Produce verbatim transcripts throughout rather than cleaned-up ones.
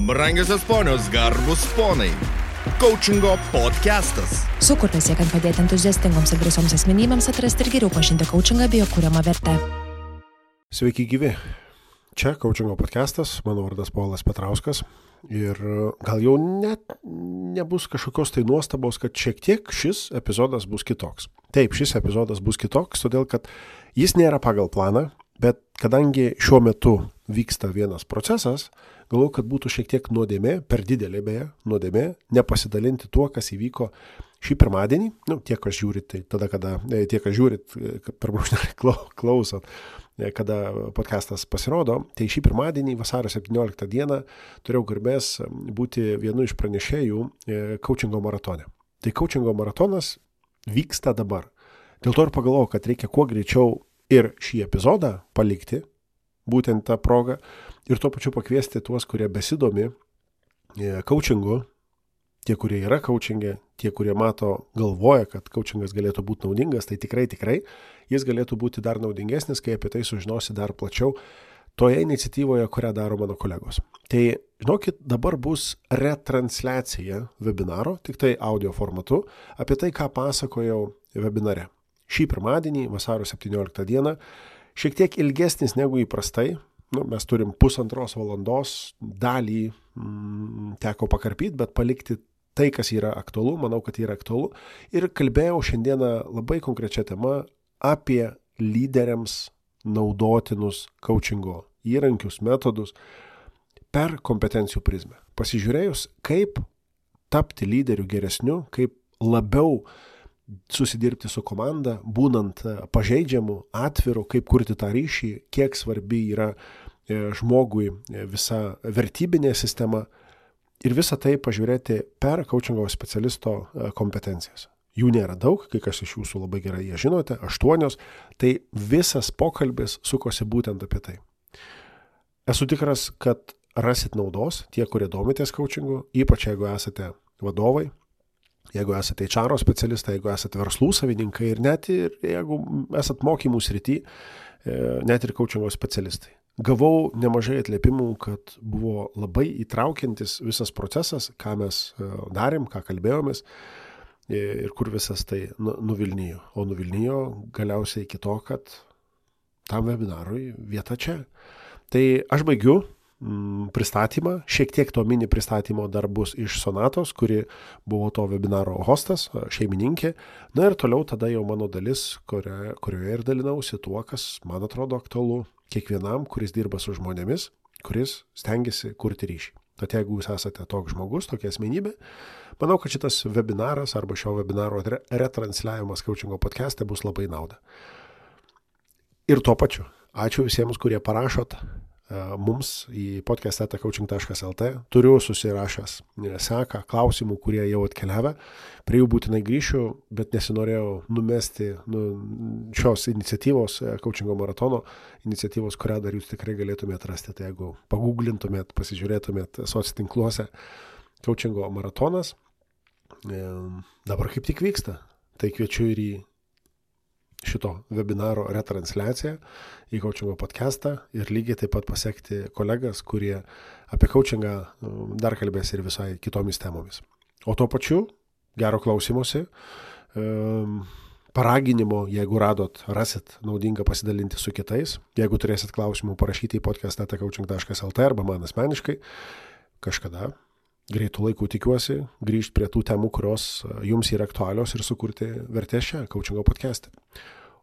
Brangiosios ponios, garbus ponai. Coachingo podcastas. Sukurtas siekiant padėti entuziastingoms ir drąsioms asmenybėms atrasti ir geriau pažinti coachingą bei jo kuriamą vertę. Sveiki gyvi. Čia Coachingo podcastas, mano vardas Povilas Petrauskas. Ir gal jau net nebus kažkokios tai nuostabos, kad šiek tiek šis epizodas bus kitoks. Taip, šis epizodas bus kitoks, todėl kad jis nėra pagal planą, bet kadangi šiuo metu vyksta vienas procesas, galvoju, kad būtų šiek tiek nuodėmė, per didelė beje, nuodėmė, nepasidalinti tuo, kas įvyko šį pirmadienį, nu, tie, kas žiūrit, tai tada, kada, tie, kas žiūrit, per brūkšnelį klausot, kada podcastas pasirodo, tai šį pirmadienį, vasario septynioliktą dieną, turėjau garbės būti vienu iš pranešėjų coachingo maratone. Tai coachingo maratonas vyksta dabar. Dėl to ir pagalvojau, kad reikia kuo greičiau ir šį epizodą palikti, būtent tą progą, ir tuo pačiu pakviesti tuos, kurie besidomi coachingu, tie, kurie yra coachingė, tie, kurie mato, galvoja, kad coachingas galėtų būti naudingas, tai tikrai, tikrai, jis galėtų būti dar naudingesnis, kai apie tai sužinosi dar plačiau toje iniciatyvoje, kurią daro mano kolegos. Tai, žinokit, dabar bus retransliacija webinaro, tik tai audio formatu, apie tai, ką pasakojau webinare. Šį pirmadienį, vasario septynioliktą dieną, šiek tiek ilgesnis negu įprastai. Nu, mes turim pusantros valandos dalį mm, teko pakarpyti, bet palikti tai, kas yra aktualu, manau, kad yra aktualu. Ir kalbėjau šiandieną labai konkrečia tema apie lyderiams naudotinus coachingo įrankius, metodus per kompetencijų prizmę. Pasižiūrėjus, kaip tapti lyderiu geresniu, kaip labiau susidirbti su komanda, būnant pažeidžiamu, atviru, kaip kurti tą ryšį, kiek svarbi yra žmogui visa vertybinė sistema ir visą tai pažiūrėti per coachingo specialisto kompetencijas. Jų nėra daug, kai kas iš jūsų labai gerai jie žinote, aštuonios, tai visas pokalbis sukosi būtent apie tai. Esu tikras, kad rasit naudos tie, kurie domitės coachingu, ypač jeigu esate vadovai, jeigu esate H R specialistai, jeigu esate verslų savininkai ir net ir jeigu esate mokymų srity, net ir coachingo specialistai. Gavau nemažai atliepimų, kad buvo labai įtraukiantis visas procesas, ką mes darėm, ką kalbėjomės ir kur visas tai nuvilnijo. O nuvilnijo galiausiai iki to, kad tam webinarui vieta čia. Tai aš baigiu pristatymą, šiek tiek to mini pristatymo dar bus iš Sonatos, kuri buvo to webinaro hostas, šeimininkė. Na ir toliau tada jau mano dalis, kurioje, kurioje ir dalinausi tuo, kas man atrodo aktualu kiekvienam, kuris dirba su žmonėmis, kuris stengiasi kurti ryšį. Tad jeigu jūs esate toks žmogus, tokia asmenybė, manau, kad šitas webinaras arba šio webinaro retransliavimas coachingo podcast'e bus labai nauda. Ir tuo pačiu, ačiū visiems, kurie parašot mums į podcast eta coaching taškas el t. Turiu susirašęs seką klausimų, kurie jau atkeliavę. Prie jų būtinai grįšiu, bet nesinorėjau numesti nu, šios iniciatyvos, coachingo maratono iniciatyvos, kurią dar jūs tikrai galėtumėte rasti. Tai jeigu pagooglintumėt, pasižiūrėtumėt socitinkluose coachingo maratonas, dabar kaip tik vyksta. Tai kviečiu ir į šito webinaro retransliaciją į coachingo podcastą ir lygiai taip pat pasekti kolegas, kurie apie coachingą dar kalbės ir visai kitomis temomis. O tuo pačiu, gero klausymosi, paraginimo, jeigu radot, rasit naudinga pasidalinti su kitais. Jeigu turėsit klausimų, parašyti į podcast eta coaching taškas el t arba man asmeniškai, kažkada greitų laikų tikiuosi grįžti prie tų temų, kurios jums yra aktualios ir sukurti vertės šią coachingo podcast'e.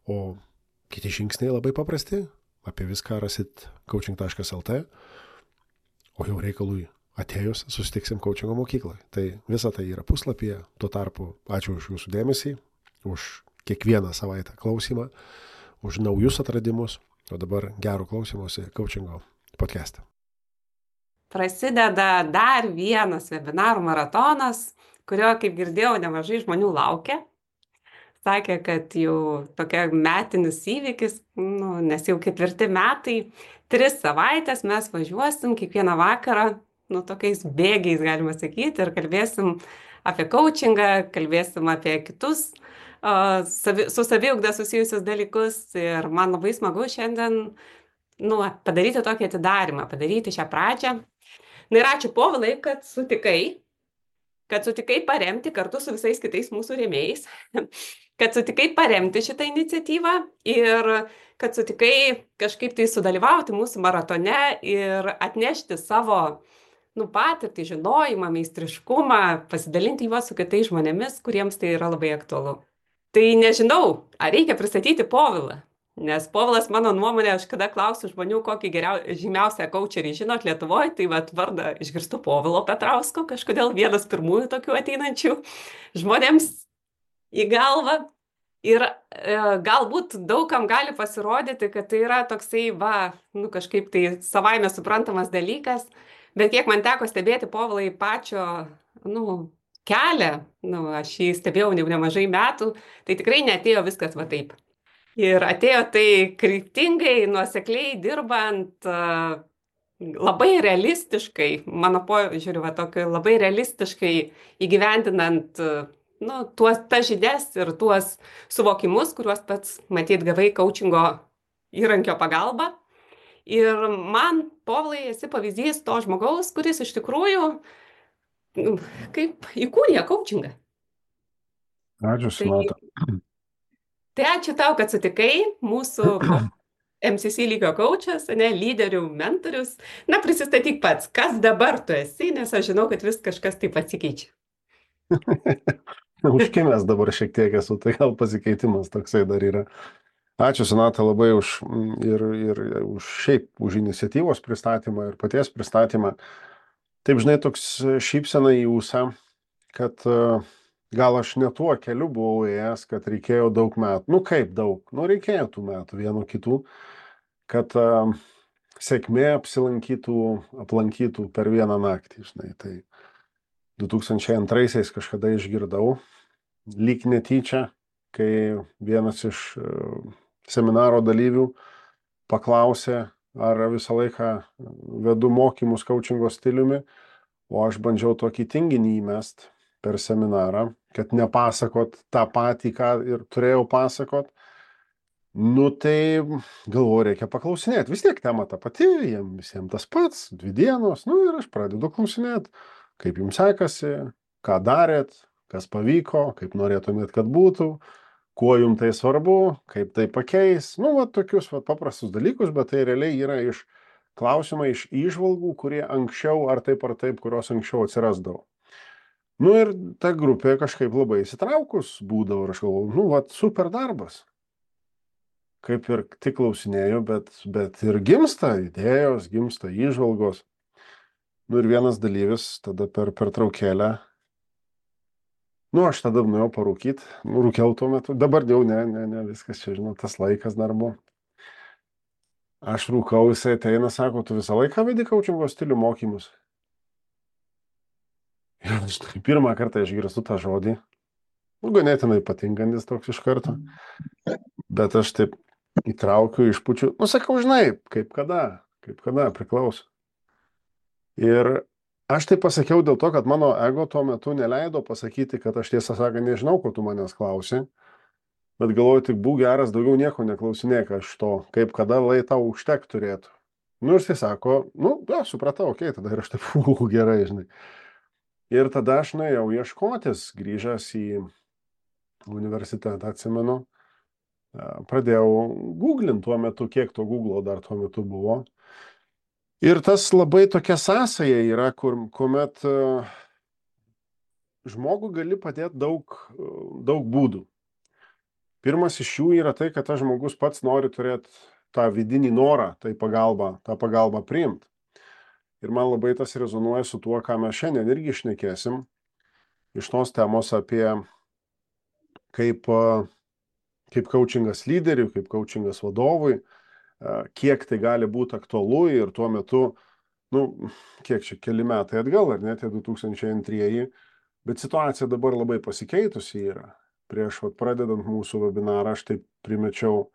O kiti žingsniai labai paprasti, apie viską rasit coaching taškas el t, o jau reikalui atėjus susitiksim coachingo mokykloje. Tai visa tai yra puslapyje, tuo tarpu ačiū už jūsų dėmesį, už kiekvieną savaitę klausimą, už naujus atradimus, o dabar gero klausymosi coachingo podcast'e. Prasideda dar vienas webinarų maratonas, kurio, kaip girdėjau, nemažai žmonių laukia. Sakė, kad jau tokia metinis įvykis, nu, nes jau ketvirti metai, tris savaitės mes važiuosim kiekvieną vakarą, nu, tokiais bėgiais, galima sakyti, ir kalbėsim apie coachingą, kalbėsim apie kitus uh, savi, su saviugda susijusius dalykus. Ir man labai smagu šiandien nu, padaryti tokį atidarymą, padaryti šią pradžią. Na ir ačiū Povilai, kad sutikai, kad sutikai paremti kartu su visais kitais mūsų rėmėjais, kad sutikai paremti šitą iniciatyvą ir kad sutikai kažkaip tai sudalyvauti mūsų maratone ir atnešti savo nu, patirtį, žinojimą, meistriškumą, pasidalinti juos su kitais žmonėmis, kuriems tai yra labai aktualu. Tai nežinau, ar reikia pristatyti Povilą, nes Povilas, mano nuomonė, aš kada klausiu žmonių, kokį geriau, žymiausią coacherį žinot Lietuvoje, tai vat vardą išgirstu Povilo Petrausko, kažkodėl vienas pirmųjų tokių ateinančių žmonėms į galvą. Ir e, galbūt daugam gali pasirodyti, kad tai yra toksai, va, nu kažkaip tai savaime suprantamas dalykas, bet kiek man teko stebėti Povilai pačio, nu, kelią, nu, aš jį stebėjau jau nemažai metų, tai tikrai neatėjo viskas va taip. Ir atėjo tai kryptingai, nuosekliai dirbant, uh, labai realistiškai, mano požiūriu, va, tokio, labai realistiškai įgyvendinant uh, nu, tuos, tas žinias ir tuos suvokimus, kuriuos pats matyt gavai coachingo įrankio pagalba. Ir man, Povilai, esi pavyzdys to žmogaus, kuris iš tikrųjų kaip įkūrė coachingą. Ačiū, Sonata. Tai, tai ačiū tau, kad sutikai mūsų M C C lygio coachas, ne, lyderių, mentorius. Na, prisistatyk pats, kas dabar tu esi, nes aš žinau, kad vis kažkas taip atsikeičia. Užkimęs dabar šiek tiek esu, tai gal pasikeitimas toksai dar yra. Ačiū, Sonata, labai už, ir, ir už šiaip, už iniciatyvos pristatymą ir paties pristatymą. Taip, žinai, toks šypsena į ūsą, kad uh, gal aš ne tuo keliu buvau ėjęs, kad reikėjo daug metų. Nu kaip daug? Nu reikėjo tų metų, vienu kitų, kad uh, sėkmė apsilankytų, aplankytų per vieną naktį. Žinai. Tai du tūkstančiai antraisiais kažkada išgirdau, lyg netyčia, kai vienas iš uh, seminaro dalyvių paklausė, ar visą laiką vedu mokymus coachingo stiliumi, o aš bandžiau tokį tinginį įmest per seminarą, kad nepasakot tą patį, ką ir turėjau pasakot. Nu tai galvoju, reikia paklausinėti. Vis tiek tema ta pati, jiems visiems tas pats, dvi dienos. Nu ir aš pradedu klausinėti, kaip jums sekasi, ką darėt, kas pavyko, kaip norėtumėt, kad būtų, kuo jums tai svarbu, kaip tai pakeis. Nu, va, tokius va, paprastus dalykus, bet tai realiai yra iš klausimai, iš įžvalgų, kurie anksčiau ar taip ar taip, kurios anksčiau atsirasdavo. Nu ir ta grupė kažkaip labai įsitraukus būdavo ir aš galvoju, nu, va, super darbas. Kaip ir tik klausinėjau, bet, bet ir gimsta idėjos, gimsta įžvalgos. Nu ir vienas dalyvis tada per pertraukėlę, nu aš tada nuėjau parūkyti, nu, rūkiau tuo metu, dabar jau ne, ne, ne, viskas čia, žinau, tas laikas dar buvo. Aš rūkau, jisai ateina, sako, tu visą laiką vedi coachingo stilių mokymus. Ir aš pirmą kartą išgirstu tą žodį, nu, ganėtinai patinkantis toks iš karto, bet aš taip įtraukiu, išpučiu, nu, sakau, žinai, kaip kada, kaip kada, priklauso. Ir aš tai pasakiau dėl to, kad mano ego tuo metu neleido pasakyti, kad aš tiesą sakant nežinau, ko tu manęs klausi, bet galvoju, tik būk geras, daugiau nieko neklausinėk aš to, kaip kada lai tau užtek turėtų. Nu ir jis sako, nu, ja, supratau, okei, okay, tada ir aš taip, uh, gerai, žinai. Ir tada aš nuėjau ieškotis, grįžęs į universitetą, atsimenu, pradėjau googlinti tuo metu, kiek to Googlo dar tuo metu buvo. Ir tas labai tokia sąsaja yra, kur, kuomet uh, žmogų gali padėti daug, uh, daug būdų. Pirmas iš jų yra tai, kad tas žmogus pats nori turėti tą vidinį norą, tai pagalbą, tą pagalbą priimti. Ir man labai tas rezonuoja su tuo, ką mes šiandien irgi šnekėsim, iš tos temos apie kaip, uh, kaip coachingas lyderiui, kaip coachingas vadovui, kiek tai gali būti aktualu ir tuo metu, nu, kiek čia keli metai atgal, ar ne, tie du tūkstančiai antrieji, bet situacija dabar labai pasikeitusi yra. Prieš vat, pradedant mūsų webinarą, aš taip primečiau,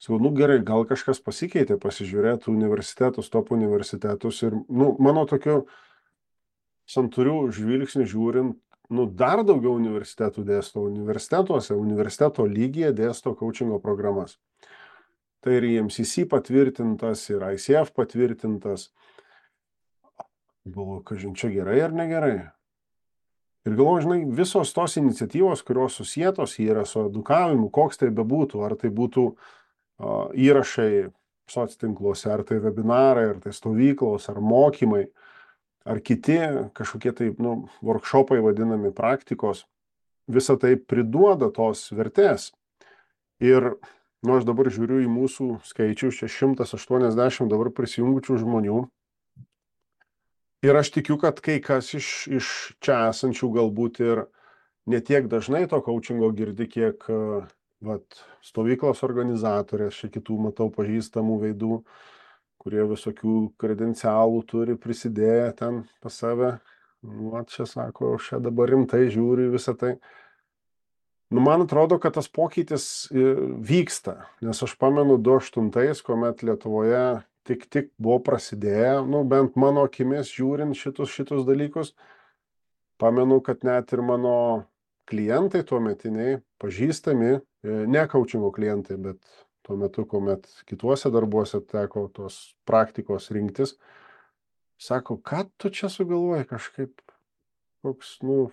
sakau, nu gerai, gal kažkas pasikeitė, pasižiūrėtų universitetus, top universitetus ir, nu, mano tokiu santūriu žvilgsniu žiūrint, nu, dar daugiau universitetų dėsto universitetuose, universiteto lygyje dėsto coachingo programas. Tai ir I M C C patvirtintas, ir I C F patvirtintas. Galvoju, kažin čia gerai ar negerai. Ir galvoju, žinai, visos tos iniciatyvos, kurios susietos yra su edukavimu, koks tai bebūtų, ar tai būtų uh, įrašai soctinkluose, ar tai webinarai, ar tai stovyklos, ar mokymai, ar kiti kažkokie tai, nu, workshopai vadinami, praktikos, visa tai priduoda tos vertės. Ir, nu, aš dabar žiūriu į mūsų skaičius, čia šimtas aštuoniasdešimt dabar prisijungučių žmonių. Ir aš tikiu, kad kai kas iš, iš čia esančių galbūt ir ne tiek dažnai to coachingo girdi, kiek vat, stovyklos organizatorės, čia kitų matau pažįstamų veidų, kurie visokių kredencialų turi prisidėję ten pas save. Nu, čia sako, aš čia dabar rimtai žiūriu visą tai. Nu, man atrodo, kad tas pokytis vyksta, nes aš pamenu du aštuntais, kuomet Lietuvoje tik tik buvo prasidėję, nu, bent mano akimis žiūrint šitus, šitus dalykus, pamenu, kad net ir mano klientai tuometiniai, pažįstami, ne coachingo klientai, bet tuo metu, kuomet kituose darbuose teko tos praktikos rinktis, sako, ką tu čia sugalvoji, kažkaip koks, nu,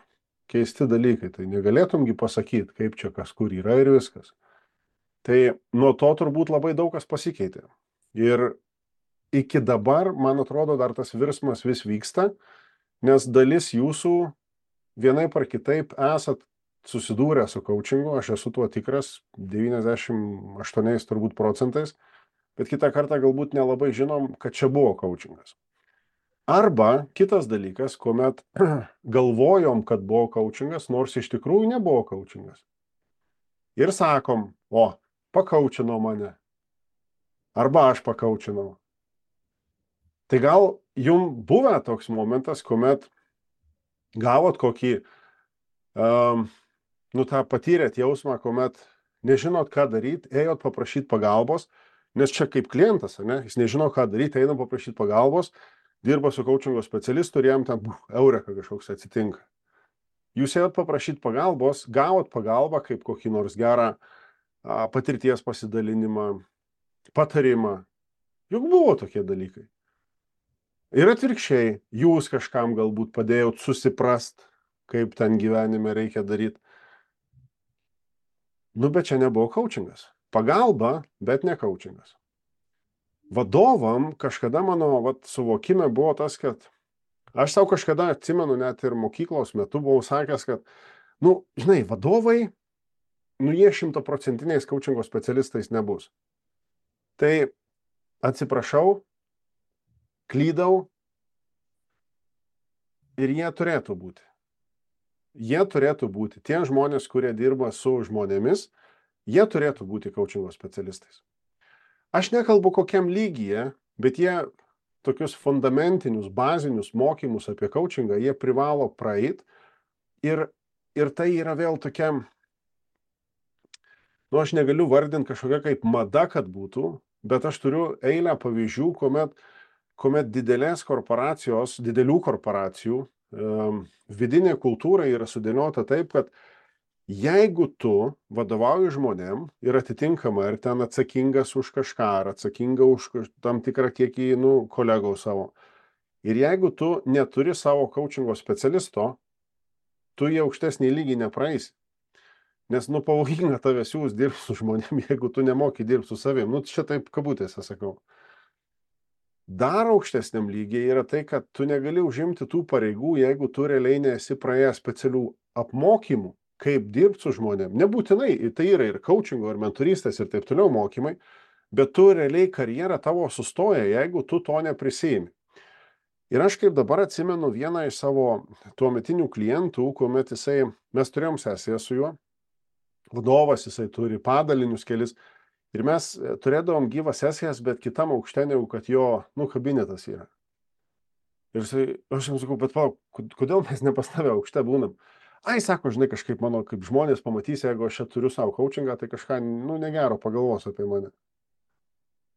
keisti dalykai, tai negalėtumgi pasakyti, kaip čia kas kur yra ir viskas. Tai nuo to turbūt labai daug kas pasikeitė. Ir iki dabar, man atrodo, dar tas virsmas vis vyksta, nes dalis jūsų vienaip ar kitaip esat susidūrę su coachingu, aš esu tuo tikras, devyniasdešimt aštuoniais turbūt procentais, bet kitą kartą galbūt nelabai žinom, kad čia buvo coachingas. Arba kitas dalykas, kuomet galvojom, kad buvo coachingas, nors iš tikrųjų nebuvo coachingas. Ir sakom, o, pakaučino mane. Arba aš pakaučinau. Tai gal jum buvę toks momentas, kuomet gavot kokį, um, nu tą patyrėt jausmą, kuomet nežinot, ką daryti, ėjot paprašyti pagalbos, nes čia kaip klientas, ne, jis nežino, ką daryti, eina paprašyti pagalbos, dirba su coachingo specialistu ir jam ten buf, eureka kažkoks atsitinka. Jūs ėjot paprašyti pagalbos, gavot pagalbą kaip kokį nors gerą a, patirties pasidalinimą, patarimą. Juk buvo tokie dalykai. Ir atvirkščiai, jūs kažkam galbūt padėjot susiprast, kaip ten gyvenime reikia daryti. Nu, bet čia nebuvo coachingas. Pagalba, bet ne coachingas. Vadovam kažkada mano vat, suvokime buvo tas, kad aš savo kažkada atsimenu, net ir mokyklos metu buvau sakęs, kad, nu, žinai, vadovai, nu, jie šimtaprocentiniais coachingo specialistais nebus. Tai atsiprašau, klydau ir jie turėtų būti. Jie turėtų būti. Tie žmonės, kurie dirba su žmonėmis, jie turėtų būti coachingo specialistais. Aš nekalbu kokiam lygyje, bet jie tokius fundamentinius, bazinius mokymus apie coachingą, jie privalo praeit ir, ir tai yra vėl tokia, nu, aš negaliu vardinti kažkokia kaip mada, kad būtų, bet aš turiu eilę pavyzdžių, kuomet kuomet didelės korporacijos, didelių korporacijų um, vidinė kultūra yra sudėliota taip, kad jeigu tu vadovauji žmonėm ir atitinkama ir ten atsakingas už kažką, ar atsakinga už tam tikrą kiekį, nu, kolegų savo, ir jeigu tu neturi savo coachingo specialisto, tu į aukštesnį lygį nepraeisi. Nes, nu, pavojinga tave siūs dirbti su žmonėm, jeigu tu nemoki dirbti su savim. Nu, čia taip kabutėse sakau. Dar aukštesniam lygiai yra tai, kad tu negali užimti tų pareigų, jeigu tu realiai nesi praėjęs specialių apmokymų, kaip dirbti su žmonėm. Nebūtinai, tai yra ir coachingo, ir mentorystės, ir taip toliau mokymai, bet tu realiai karjera tavo sustoja, jeigu tu to neprisijimi. Ir aš kaip dabar atsimenu vieną iš savo tuometinių klientų, kuomet jisai, mes turėjom sesiją su juo, vadovas jisai turi padalinius kelis, ir mes turėdavom gyvas sesijas, bet kitam aukšte negu, kad jo, nu, kabinetas yra. Ir jisai, aš jam sakau, bet palauk, kodėl mes nepastavę aukšte būnam? Ai, sako, žinai, kažkaip mano, kaip žmonės pamatys, jeigu aš čia turiu savo coachingą, tai kažką, nu, negero pagalvos apie mane.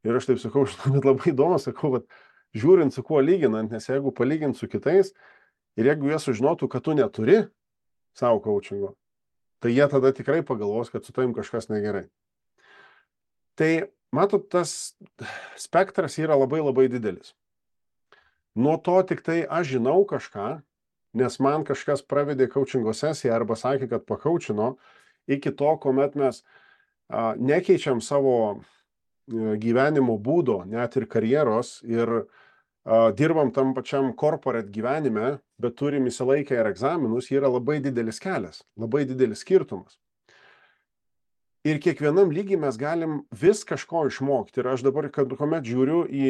Ir aš taip sakau, žinai, bet labai įdomu, sakau, bet žiūrint su kuo lyginant, nes jeigu palygint su kitais, ir jeigu jie sužinotų, kad tu neturi savo coachingo, tai jie tada tikrai pagalvos, kad su tavim kažkas negerai. Tai, matot, tas spektras yra labai labai didelis. nuo to tik tai aš žinau kažką, nes man kažkas pravedė coachingo sesiją arba sakė, kad pakaučino, iki to, kuomet mes a, nekeičiam savo a, gyvenimo būdo, net ir karjeros ir a, dirbam tam pačiam corporate gyvenime, bet turim įsilaikę ir egzaminus, yra labai didelis kelias, labai didelis skirtumas. Ir kiekvienam lygiai mes galim vis kažko išmokti. Ir aš dabar, kad kuomet žiūriu į,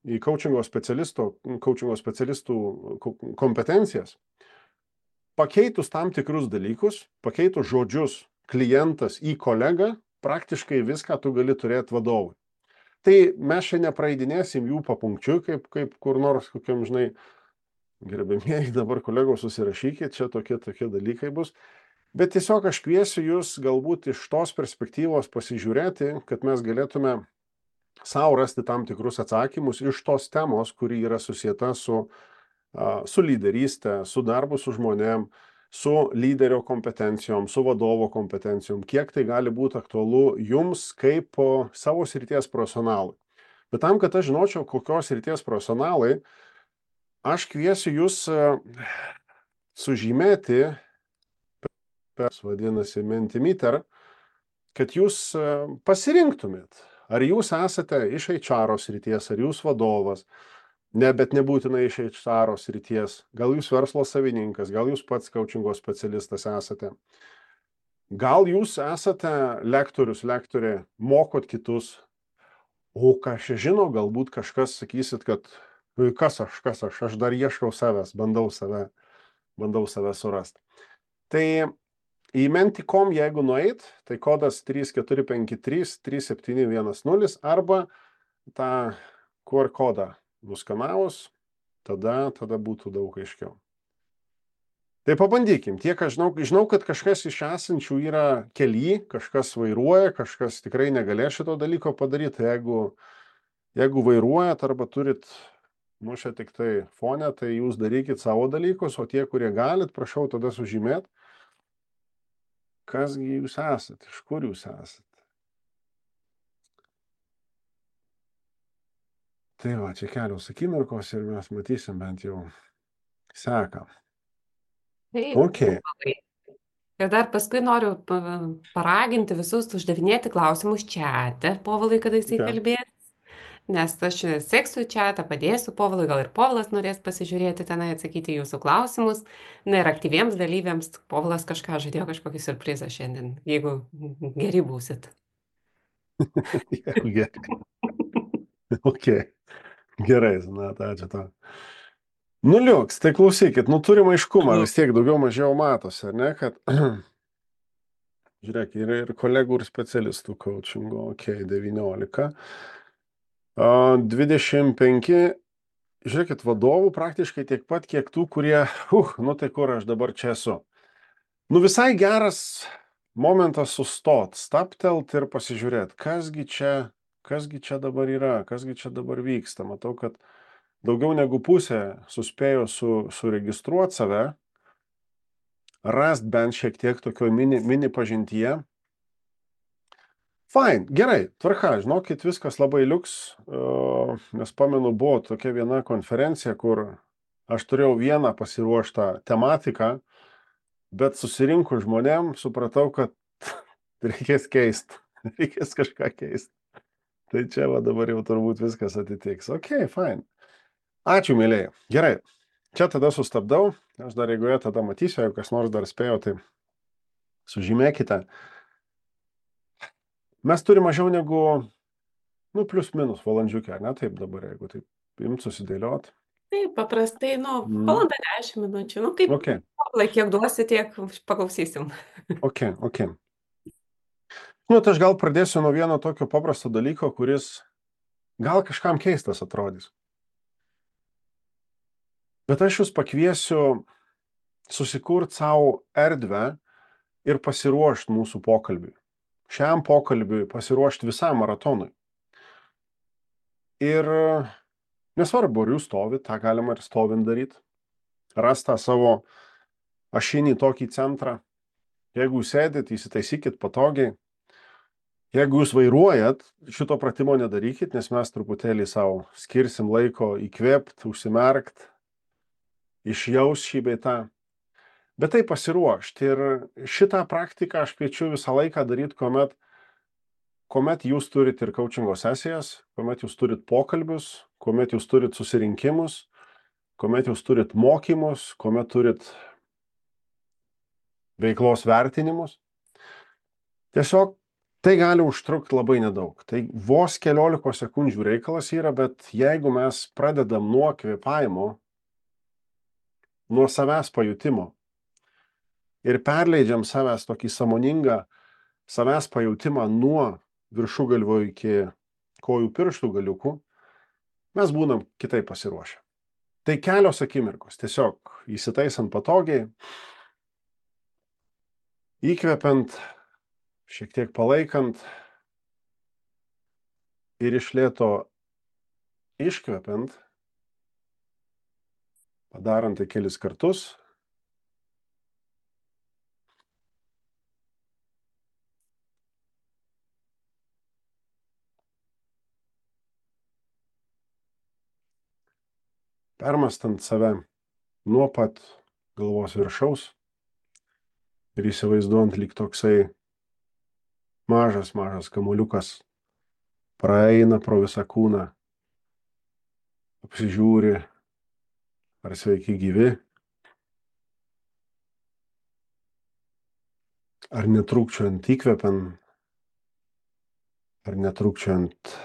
į coachingo specialistų, coachingo specialistų kompetencijas, pakeitus tam tikrus dalykus, pakeitus žodžius klientas į kolegą, praktiškai viską tu gali turėti vadovui. Tai mes čia nepraeidinėsim jų papunkčiui, kaip, kaip kur nors, kokiam, žinai, gerbėmieji, dabar kolegos susirašykit, čia tokie, tokie dalykai bus. Bet tiesiog aš kviesiu jūs galbūt iš tos perspektyvos pasižiūrėti, kad mes galėtume savo rasti tam tikrus atsakymus iš tos temos, kuri yra susieta su, su lyderystė, su darbu su žmonėm, su lyderio kompetencijom, su vadovo kompetencijom, kiek tai gali būti aktualu jums kaip savo srities profesionalui. Bet tam, kad aš žinočiau, kokios srities profesionalai, aš kviesiu jūs sužymėti, vadinasi Mentimeter, kad jūs pasirinktumėt, ar jūs esate iš H R srities, ar jūs vadovas, ne, bet nebūtinai iš H R srities, gal jūs verslo savininkas, gal jūs pats coachingo specialistas esate, gal jūs esate lektorius, lektorė, mokot kitus, o ką aš žinau, galbūt kažkas sakysit, kad kas aš, kas aš, aš dar ieškau savęs, bandau save, bandau save surasti. Tai į menti taškas com jeigu nueit, tai kodas trys keturi penki trys trys septyni vienas nulis arba tą Q R kodą nuskanavus, tada, tada būtų daug aiškiau. Tai pabandykim. Tiek aš žinau, žinau, kad kažkas iš esančių yra kely, kažkas vairuoja, kažkas tikrai negalės šito dalyko padaryti. Jeigu, jeigu vairuojat arba turit mušę tik tai fonę, tai jūs darykit savo dalykus, o tie, kurie galit, prašau tada sužymėt, kasgi jūs esat, iš kur jūs esat. Tai va, čia kelios akimirkos ir mes matysim bent jau seką. Taip, Okay. ir dar paskui noriu paraginti visus uždavinėti klausimus čiate, Povilai, kada jisai Okay. kalbės. Nes aš seksiu čiatą, padėsiu Povilui, gal ir Povilas norės pasižiūrėti tenai, atsakyti jūsų klausimus. Na ir aktyviems dalyviams Povilas kažką žadėjo, kažkokį surprizą šiandien, jeigu geri būsit. Jeigu gerai. Ok. Gerai, Zanata, ačiū tau. Nu liuks, tai klausykit, nu turim aiškumą, vis tiek daugiau mažiau matosi, ar ne, kad žiūrėk, yra ir kolegų ir specialistų coachingo, ok, devyniolika. dvidešimt penki, žiūrėkit, vadovų praktiškai tiek pat, kiek tų, kurie, uh, nu tai kur aš dabar čia esu. Nu visai geras momentas sustot, staptelt ir pasižiūrėt, kasgi čia, kasgi čia dabar yra, kasgi čia dabar vyksta. Matau, kad daugiau negu pusė suspėjo su, suregistruoti save, rast bent šiek tiek tokio mini, mini pažintyje. Fine, gerai, tvarka, žinokit, viskas labai liuks, nes pamenu, buvo tokia viena konferencija, kur aš turėjau vieną pasiruoštą tematiką, bet susirinkus žmonėm supratau, kad reikės keist, reikės kažką keist. Tai čia va dabar jau turbūt viskas atitiks. Ok, fine. Ačiū, mėlėjai. Gerai, čia tada sustabdau, aš dar jeigu jie tada matysiu, jeigu kas nors dar spėjo, tai sužymėkite. Mes turime mažiau negu, nu, plius minus valandžiukę, ne, taip dabar, jeigu taip imt susidėliot. Taip, paprastai, nu, Mm. valanda dešimt minučių, nu, kaip, Ok, Povilai, kiek duosi, tiek paklausysim. ok, ok. Nu, tai aš gal pradėsiu nuo vieno tokio paprasto dalyko, kuris gal kažkam keistas atrodys. Bet aš jūs pakviesiu susikurti savo erdvę ir pasiruošti mūsų pokalbiui. Šiam pokalbiui pasiruošti visam maratonui. Ir nesvarbu, ar jūs stovit, tą galima ir stovint daryti. Rast tą savo ašinį tokį centrą. Jeigu jūs sėdit, įsitaisykit patogiai. Jeigu jūs vairuojat, šito pratimo nedarykit, nes mes truputėlį savo skirsim laiko įkvėpt, užsimerkt, išjaus šį bei tą. Bet tai pasiruošti. Ir šitą praktiką aš kviečiu visą laiką daryti, kuomet, kuomet jūs turit ir coachingo sesijas, kuomet jūs turit pokalbius, kuomet jūs turit susirinkimus, kuomet jūs turit mokymus, kuomet turit veiklos vertinimus. Tiesiog tai gali užtrukti labai nedaug. Tai vos keliolikos sekundžių reikalas yra, bet jeigu mes pradedam nuo kvėpavimo, nuo savęs pajutimo ir perleidžiam savęs tokį sąmoningą savęs pajutimą nuo viršugalvio iki kojų pirštų galiukų, mes būnam kitaip pasiruošę. Tai kelios akimirkos, tiesiog įsitaisant patogiai, įkvepiant, šiek tiek palaikant ir iš lėto iškvepiant, padarant tai kelis kartus. Permastant save nuo pat galvos viršaus ir įsivaizduojant lyg toksai mažas, mažas kamuoliukas praeina pro visą kūną, apsižiūri, ar sveiki gyvi, ar netrūkčiojant įkvepiam, ar netrūkčiojant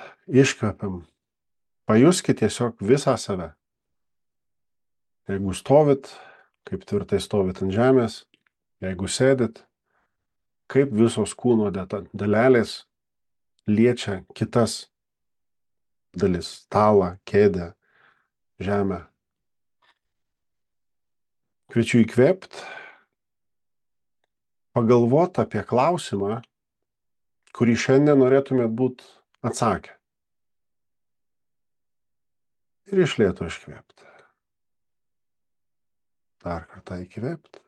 iškvepiam. Pajuskit tiesiog visą save. Jeigu stovit, kaip tvirtai stovit ant žemės, jeigu sėdit, kaip visos kūno dalelės liečia kitas dalis, stalą, kėdę, žemę. Kviečiu įkvėpt, pagalvot apie klausimą, kurį šiandien norėtumėt būt atsakę. Ir iš lėto iškvėpt. Dar kartą įkvėpt.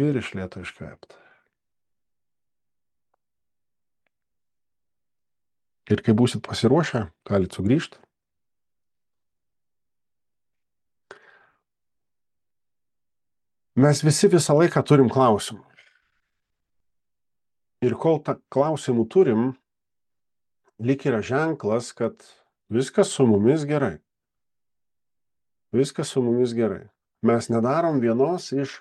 Ir iš lėto iškvėpt. Ir kai būsit pasiruošę, galit sugrįžti. Mes visi visą laiką turim klausimų. Ir kol tą klausimų turim, lyg yra ženklas, kad viskas su mumis gerai. Viskas su mumis gerai. Mes nedarom vienos iš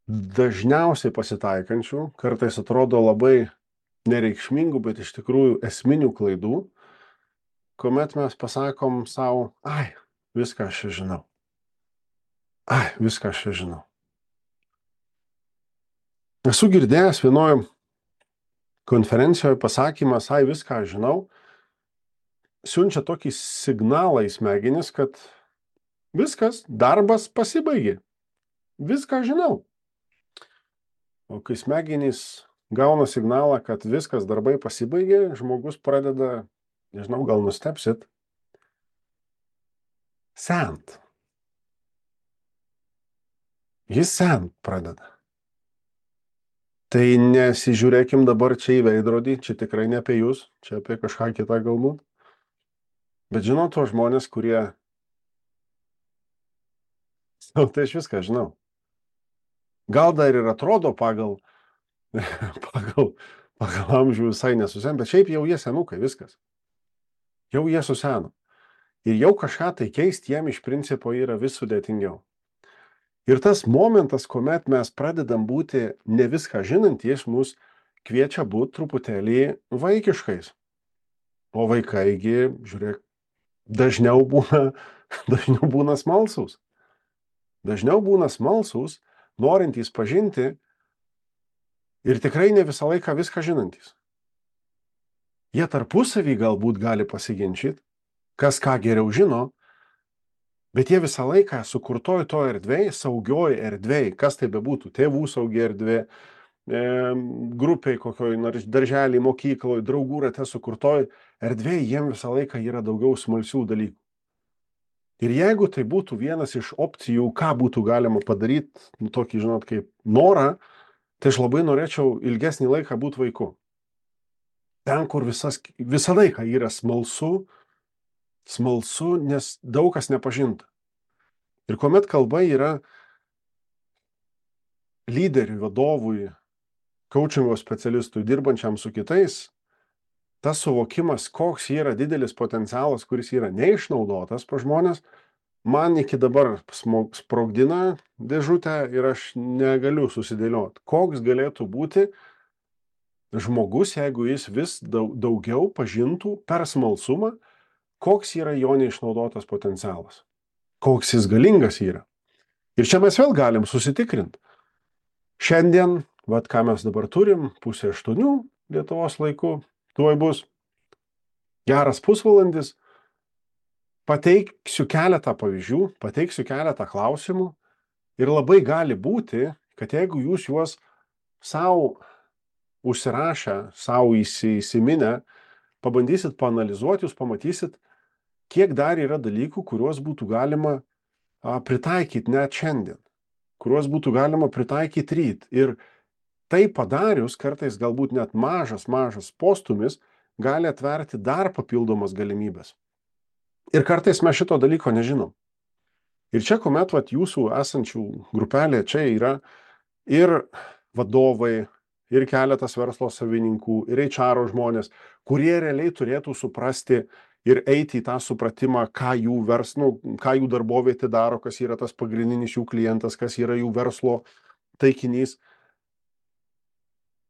dažniausiai pasitaikančių, kartais atrodo labai nereikšmingų, bet iš tikrųjų esminių klaidų, kuomet mes pasakom savo, ai, viską aš čia žinau. Ai, viską aš čia žinau. Esu girdėjęs vienoje konferencijoje pasakymas, ai, viską aš žinau, siunčia tokį signalą į smegenis, kad viskas, darbas pasibaigė. Viską žinau. O kai smegenys gauna signalą, kad viskas, darbai pasibaigė, žmogus pradeda, nežinau, gal nustepsit, sent. Jis sent pradeda. Tai nesižiūrėkim dabar čia į veidrodį, čia tikrai ne apie jūs, čia apie kažką kitą galbūt. Bet žinau tuos žmonės, kurie, nu, tai aš viską žinau. Gal dar ir atrodo pagal, pagal, pagal amžių visai nesuseno, bet šiaip jau jie senukai, viskas. Jau jie suseno. Ir jau kažką tai keisti jiem iš principo yra vis sudėtingiau. Ir tas momentas, kuomet mes pradedam būti ne viską žinantys, mus kviečia būti truputėlį vaikiškais. O vaikaigi, žiūrėk, dažniau būna, dažniau būna smalsūs. Dažniau būna smalsūs, norintys pažinti ir tikrai ne visą laiką viską žinantys. Jie tarpusavį galbūt gali pasiginčyti, kas ką geriau žino, bet jie visą laiką sukurtoj to erdvėj, saugioj erdvėj, kas tai bebūtų, tėvų saugi erdvė, e, grupiai kokioj, darželį, mokykloj, draugų rate sukurtoj erdvėj, jiem visą laiką yra daugiau smalsių dalykų. Ir jeigu tai būtų vienas iš opcijų, ką būtų galima padaryti, nu tokį, žinot, kaip norą, tai aš labai norėčiau ilgesnį laiką būti vaiku. Ten, kur visas, visą laiką yra smalsu, smalsu, nes daug kas nepažinta. Ir kuomet kalba yra lyderiui, vadovui, coachingo specialistui, dirbančiam su kitais, tas suvokimas, koks yra didelis potencialas, kuris yra neišnaudotas pa žmonės, man iki dabar sprogdina dėžutę ir aš negaliu susidėlioti. Koks galėtų būti žmogus, jeigu jis vis daugiau pažintų per smalsumą, koks yra jo neišnaudotas potencialas, koks jis galingas yra. Ir čia mes vėl galim susitikrinti. Šiandien, vat ką mes dabar turim, pusė aštuonių Lietuvos laiku, tuoj bus geras pusvalandis, pateiksiu keletą pavyzdžių, pateiksiu keletą klausimų ir labai gali būti, kad jeigu jūs juos savo užsirašę, savo įsiminę, pabandysit paanalizuoti, jūs pamatysit, kiek dar yra dalykų, kuriuos būtų galima a, pritaikyti net šiandien, kuriuos būtų galima pritaikyti ryt. Ir tai padarius, kartais galbūt net mažas, mažas postumis, gali atverti dar papildomas galimybės. Ir kartais mes šito dalyko nežinom. Ir čia, kuomet vat, jūsų esančių grupelė čia yra ir vadovai, ir keletas verslo savininkų, ir H R žmonės, kurie realiai turėtų suprasti ir eiti į tą supratimą, ką jų, vers, nu, ką jų darbovietė daro, kas yra tas pagrindinis jų klientas, kas yra jų verslo taikinys.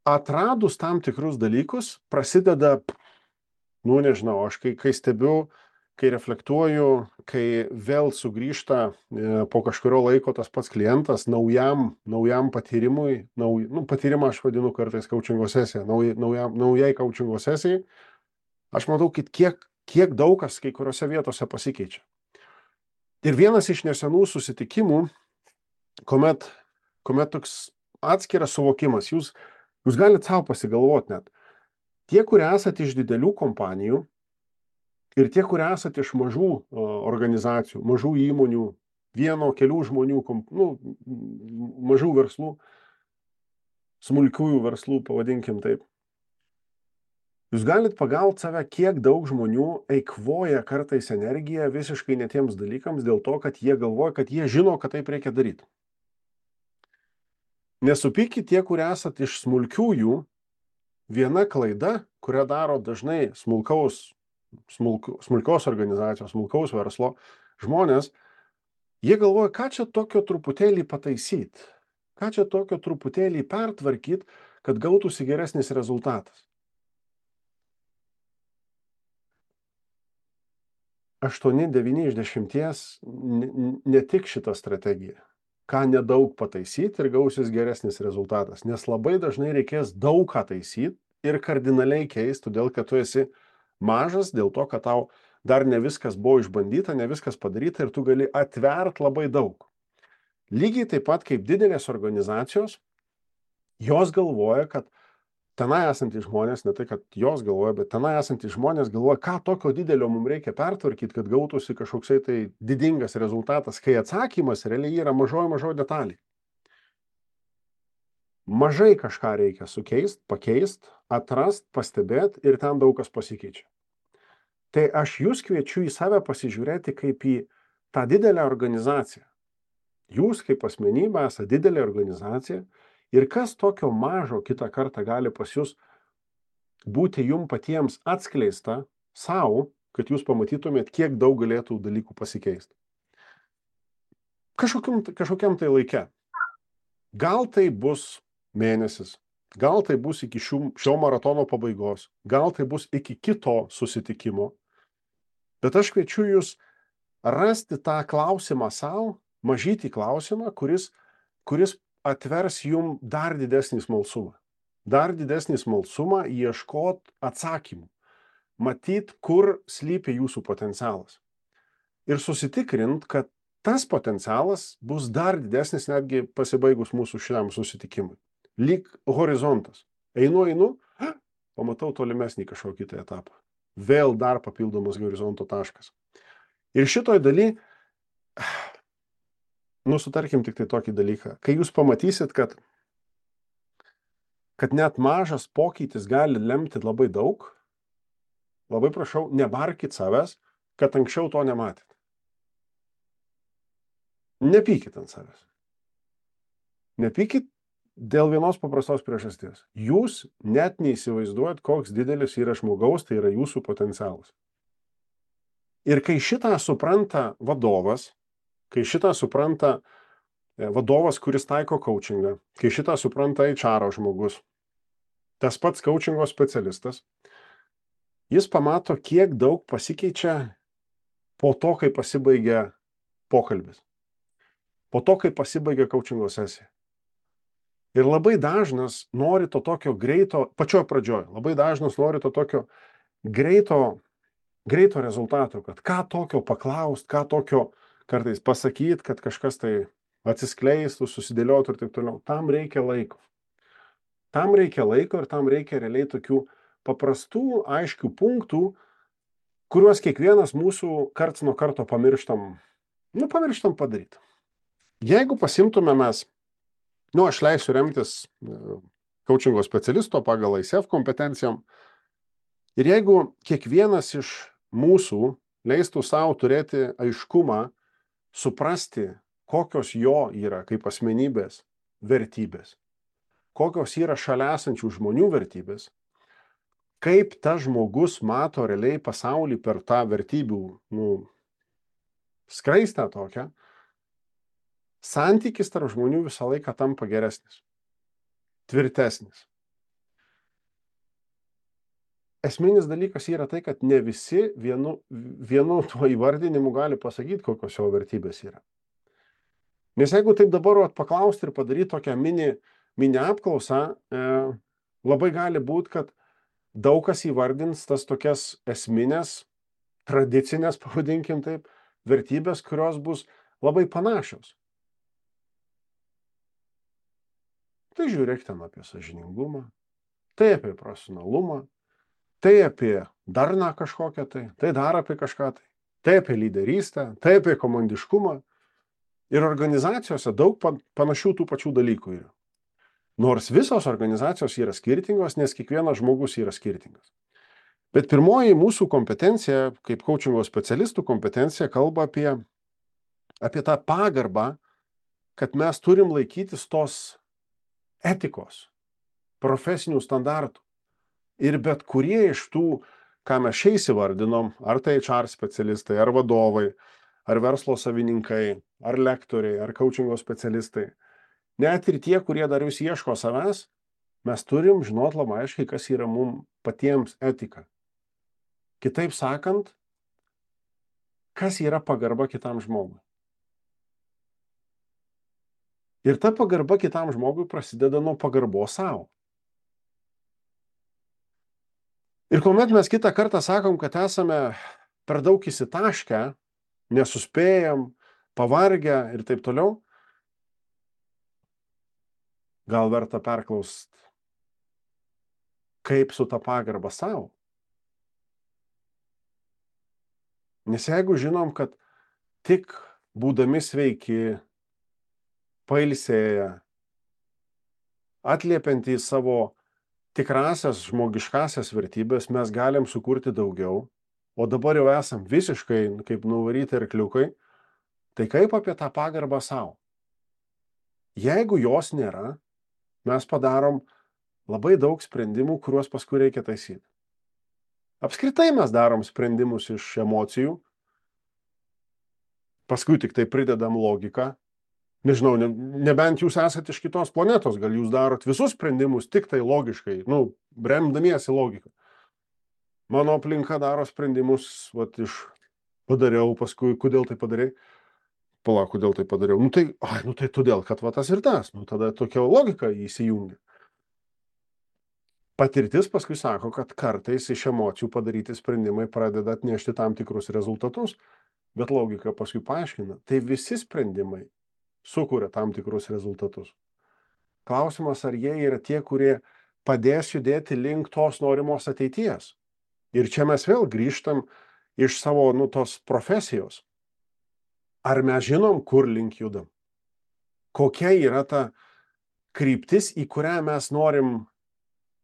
Atradus tam tikrus dalykus, prasideda, nu nežinau, aš kai, kai stebiu, kai reflektuoju, kai vėl sugrįžta e, po kažkurio laiko tas pats klientas naujam, naujam patyrimui, nauj, nu, patyrimą aš vadinu kartais coachingo sesiją, nauj, naujam, naujai coachingo sesijai, aš matau, kad kiek, kiek daug kas kai kuriuose vietose pasikeičia. Ir vienas iš nesenų susitikimų, kuomet, kuomet toks atskiras suvokimas, jūs Jūs galite savo pasigalvoti net. Tie, kurie esate iš didelių kompanijų ir tie, kurie esate iš mažų organizacijų, mažų įmonių, vieno, kelių žmonių, nu, mažų verslų, smulkiųjų verslų, pavadinkim taip. Jūs galite pagauti save, kiek daug žmonių eikvoja kartais energiją visiškai netiems dalykams dėl to, kad jie galvoja, kad jie žino, kad taip reikia daryti. Nesupykit tie, kurie esat iš smulkiųjų, viena klaida, kurią daro dažnai smulkaus, smulk, smulkios organizacijos, smulkaus verslo žmonės, jie galvoja, ką čia tokio truputėlį pataisyti, ką čia tokio truputėlį pertvarkyti, kad gautųsi geresnis rezultatas. aštuoni devyni iš dešimties ne tik šita strategija. Ką nedaug pataisyti ir gausis geresnis rezultatas. Nes labai dažnai reikės daug ką taisyti ir kardinaliai keisti, todėl kad tu esi mažas, dėl to, kad tau dar ne viskas buvo išbandyta, ne viskas padaryta ir tu gali atvert labai daug. Lygiai taip pat kaip didelės organizacijos, jos galvoja, kad tenai esantys žmonės, ne tai, kad jos galvoja, bet tenai esantys žmonės galvoja, ką tokio didelio mums reikia pertvarkyti, kad gautųsi kažkoksai tai didingas rezultatas, kai atsakymas realiai yra mažoji mažoji detalė. Mažai kažką reikia sukeist, pakeist, atrast, pastebėti ir ten daug kas pasikeičia. Tai aš jūs kviečiu į save pasižiūrėti kaip į tą didelę organizaciją. Jūs kaip asmenybė esate didelė organizacija ir kas tokio mažo kitą kartą gali pas jūs būti jum patiems atskleista savo, kad jūs pamatytumėt, kiek daug galėtų dalykų pasikeisti. Kažkokiam, kažkokiam tai laike. Gal tai bus mėnesis, gal tai bus iki šių, šio maratono pabaigos, gal tai bus iki kito susitikimo, bet aš kviečiu jūs rasti tą klausimą savo, mažytį klausimą, kuris, kuris atvers jum dar didesnį smalsumą. Dar didesnį smalsumą ieškot atsakymų. Matyt, kur slypi jūsų potencialas. Ir susitikrint, kad tas potencialas bus dar didesnis netgi pasibaigus mūsų šiam susitikimui. Lyg horizontas. Einu, einu, pamatau tolimesnį kažkokį kitą etapą. Vėl dar papildomas horizonto taškas. Ir šitoj daly nu, sutarkim tik tai tokį dalyką. Kai jūs pamatysit, kad, kad net mažas pokytis gali lemti labai daug, labai prašau, nebarkit savęs, kad anksčiau to nematėt. Nepykit ant savęs. Nepykit dėl vienos paprastos priežasties. Jūs net neįsivaizduojat, koks didelis yra žmogaus, tai yra jūsų potencialas. Ir kai šitą supranta vadovas, kai šitą supranta vadovas, kuris taiko coachingą, kai šitą supranta H R žmogus, tas pats coachingo specialistas, jis pamato, kiek daug pasikeičia po to, kai pasibaigia pokalbis. Po to, kai pasibaigia coachingo sesija. Ir labai dažnas nori to tokio greito, pačioj pradžioj, labai dažnas nori to tokio greito, greito rezultato, kad ką tokio paklaust, ką tokio kartais pasakyt, kad kažkas tai atsiskleistų, susidėliotų ir taip toliau. Tam reikia laiko. Tam reikia laiko ir tam reikia realiai tokių paprastų, aiškių punktų, kuriuos kiekvienas mūsų karts nuo karto pamirštam, nu, pamirštam padaryti. Jeigu pasimtume mes, nu, aš leisiu remtis coachingo specialisto pagal I C F kompetencijom, ir jeigu kiekvienas iš mūsų leistų savo turėti aiškumą, suprasti, kokios jo yra kaip asmenybės vertybės, kokios yra šalia esančių žmonių vertybės, kaip tas žmogus mato realiai pasaulį per tą vertybių, nu, skraistę tokią, santykis tarp žmonių visą laiką tampa geresnis, tvirtesnis. Esminis dalykas yra tai, kad ne visi vienu, vienu tuo įvardinimu gali pasakyti, kokios jo vertybės yra. Nes jeigu taip dabar paklausti ir padaryti tokią mini, mini apklausą, e, labai gali būti, kad daug kas įvardins tas tokias esminės, tradicinės, pavadinkim taip, vertybės, kurios bus labai panašios. Tai žiūrėk ten apie sąžiningumą, tai apie profesionalumą, tai apie darną kažkokią tai, tai dar apie kažką tai, tai apie lyderystę, tai apie komandiškumą. Ir organizacijose daug panašių tų pačių dalykų yra. Nors visos organizacijos yra skirtingos, nes kiekvienas žmogus yra skirtingas. Bet pirmoji mūsų kompetencija, kaip coachingo specialistų kompetencija, kalba apie, apie tą pagarbą, kad mes turim laikytis tos etikos, profesinių standartų. Ir bet kurie iš tų, ką mes šiais įvardinom, ar tai H R specialistai, ar vadovai, ar verslo savininkai, ar lektoriai, ar coachingo specialistai, net ir tie, kurie dar vis ieško savęs, mes turim žinot labai aiškiai, kas yra mums patiems etika. Kitaip sakant, kas yra pagarba kitam žmogui. Ir ta pagarba kitam žmogui prasideda nuo pagarbos savo. Ir kuomet mes kitą kartą sakom, kad esame per daug įsitaškę, nesuspėjam, pavargę ir taip toliau, gal verta perklaust, kaip su ta pagarba savo. Nes jeigu žinom, kad tik būdami sveiki, pailsėję, atliepiantys savo tikrasias žmogiškasias vertybės, mes galim sukurti daugiau, o dabar jau esam visiškai kaip nuvaryti arkliukai, tai kaip apie tą pagarbą savo? Jeigu jos nėra, mes padarom labai daug sprendimų, kuriuos paskui reikia taisyti. Apskritai mes darom sprendimus iš emocijų, paskui tik tai pridedam logiką. Nežinau, ne, nebent jūs esate iš kitos planetos, gal jūs darot visus sprendimus tik tai logiškai, nu, remdamiesi logiką. Mano aplinka daro sprendimus, vat, iš padariau, paskui, kodėl tai padarei? Palauk, kodėl tai padariau? Nu tai, ai, nu tai todėl, kad va tas ir tas. Nu tada tokia logika įsijungia. Patirtis paskui sako, kad kartais iš emocijų padaryti sprendimai pradeda atnešti tam tikrus rezultatus, bet logika paskui paaiškina. Tai visi sprendimai sukuria tam tikrus rezultatus. Klausimas, ar jie yra tie, kurie padės judėti link tos norimos ateities. Ir čia mes vėl grįžtam iš savo, nu, tos profesijos. Ar mes žinom, kur link judam? Kokia yra ta kryptis, į kurią mes norim,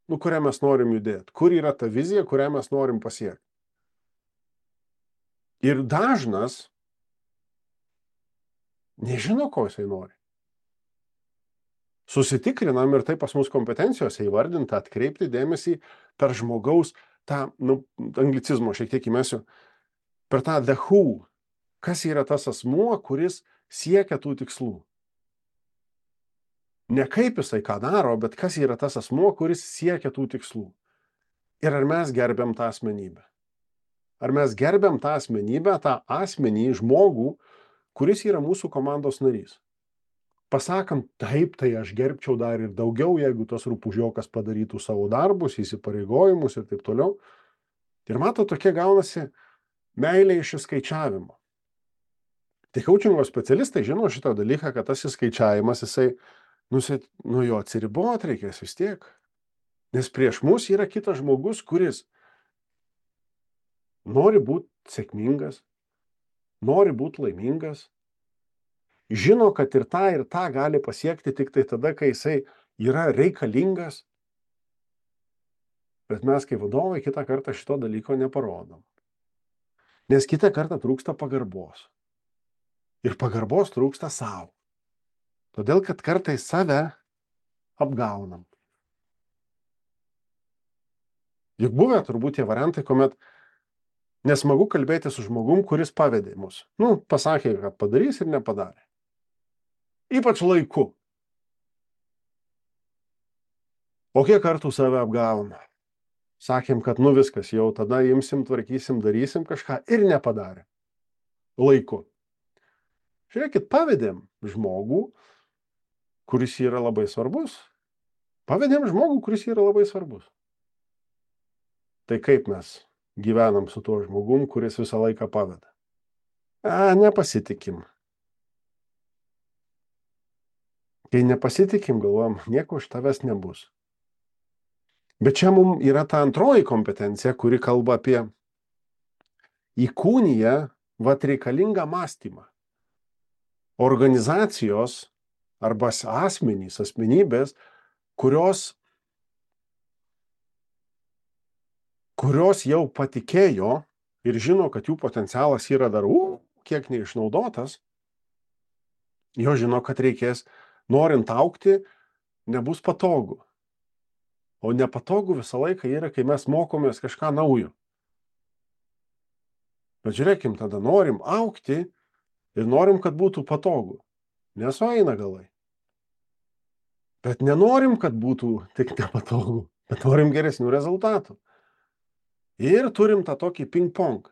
nu, kurią mes norim judėti? Kur yra ta vizija, kurią mes norim pasiekti? Ir dažnas nežino, ko jisai nori. Susitikrinam ir tai pas mus kompetencijose įvardinta, atkreipti dėmesį per žmogaus tą, nu, anglicizmo šiek tiek įmesiu, per tą the who. Kas yra tas asmuo, kuris siekia tų tikslų? Ne kaip jisai ką daro, bet kas yra tas asmuo, kuris siekia tų tikslų. Ir ar mes gerbiam tą asmenybę? Ar mes gerbiam tą asmenybę, tą asmenį, žmogų, kuris yra mūsų komandos narys? Pasakant, taip, tai aš gerbčiau dar ir daugiau, jeigu tas rupūžiokas padarytų savo darbus, įsipareigojimus ir taip toliau. Ir mato, tokie gaunasi meilė iš įskaičiavimo. Tai coachingo specialistai žino šitą dalyką, kad tas įskaičiavimas, jisai, nu, nu jo atsiribot reikės vis tiek. Nes prieš mus yra kitas žmogus, kuris nori būti sėkmingas, nori būti laimingas, žino, kad ir tą, ir tą gali pasiekti tik tai tada, kai jisai yra reikalingas. Bet mes kaip vadovai kitą kartą šito dalyko neparodom. Nes kitą kartą trūksta pagarbos. Ir pagarbos trūksta savo. Todėl, kad kartais save apgaunam. Juk buvę turbūt tie variantai, kuomet nesmagu kalbėti su žmogum, kuris pavedė mus. Nu, pasakė, kad padarys ir nepadarė. Ypač laiku. O kiek kartų save apgavom? Sakėm, kad nu viskas, jau tada imsim, tvarkysim, darysim kažką ir nepadarė. Laiku. Žiūrėkit, pavedėm žmogų, kuris yra labai svarbus. Pavedėm žmogų, kuris yra labai svarbus. Tai kaip mes gyvenam su tuo žmogum, kuris visą laiką paveda? A, nepasitikim. Kai nepasitikim, galvojam, nieko iš tavęs nebus. Bet čia mums yra ta antroji kompetencija, kuri kalba apie įkūniją vat reikalingą mąstymą. Organizacijos arba asmenys, asmenybės, kurios, kurios jau patikėjo ir žino, kad jų potencialas yra dar, u, kiek neišnaudotas, jo žino, kad reikės, norint augti, nebus patogu. O nepatogu visą laiką yra, kai mes mokomės kažką naujo. Bet žiūrėkim, tada norim augti ir norim, kad būtų patogu. Nesueina galai. Bet nenorim, kad būtų tik nepatogu, bet norim geresnių rezultatų. Ir turim tą tokį ping-pong.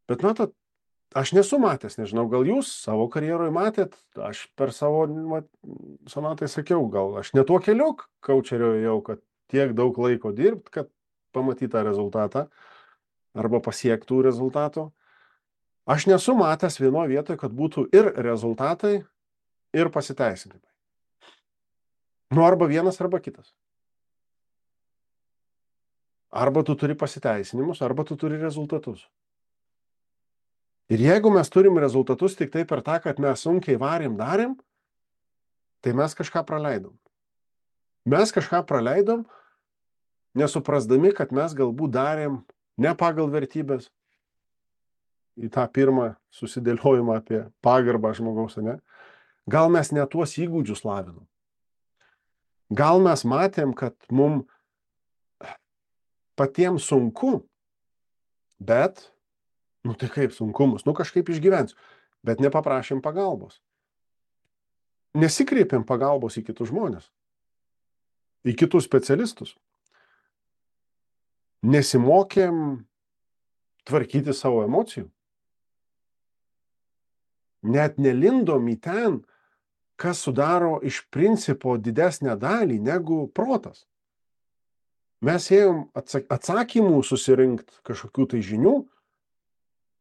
Bet matot, aš nesu matęs, nežinau, gal jūs savo karjeroje matėt, aš per savo mat, sonatai sakiau, gal aš ne tuo keliu kaučerio jau, kad tiek daug laiko dirbt, kad pamatytą rezultatą arba pasiektų rezultato. Aš nesu matęs vienoje vietoje, kad būtų ir rezultatai, ir pasiteisinimai. Nu, arba vienas, arba kitas. Arba tu turi pasiteisinimus, arba tu turi rezultatus. Ir jeigu mes turim rezultatus tik tai per tą, kad mes sunkiai varėm, darėm, tai mes kažką praleidom. Mes kažką praleidom, nesuprasdami, kad mes galbūt darėm ne pagal vertybės, į tą pirmą susidėliojimą apie pagarbą žmogaus, ne? Gal mes ne tuos įgūdžius lavinom. Gal mes matėm, kad mum patiems sunku, bet, nu tai kaip sunkumus, nu kažkaip išgyvensiu, bet nepaprašėm pagalbos. Nesikreipėm pagalbos į kitus žmonės, į kitus specialistus. Nesimokėm tvarkyti savo emocijų. Net nelindom į ten, kas sudaro iš principo didesnę dalį negu protas. Mes ėjom atsakymų susirinkti kažkokių tai žinių,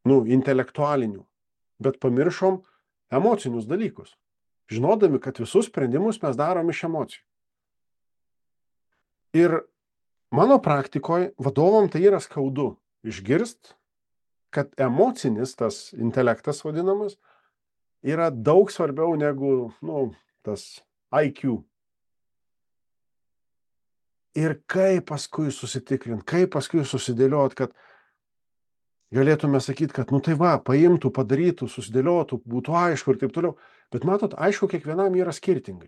nu, intelektualinių, bet pamiršom emocinius dalykus, žinodami, kad visus sprendimus mes darom iš emocijų. Ir mano praktikoje vadovam tai yra skaudu išgirst, kad emocinis tas intelektas vadinamas yra daug svarbiau negu, nu, tas I Q. Ir kaip paskui susitikrint, kaip paskui susidėliot, kad galėtume sakyti, kad, nu tai va, paimtų, padarytų, susidėliotų, būtų aišku ir taip toliau. Bet matot, aišku, kiekvienam yra skirtingai.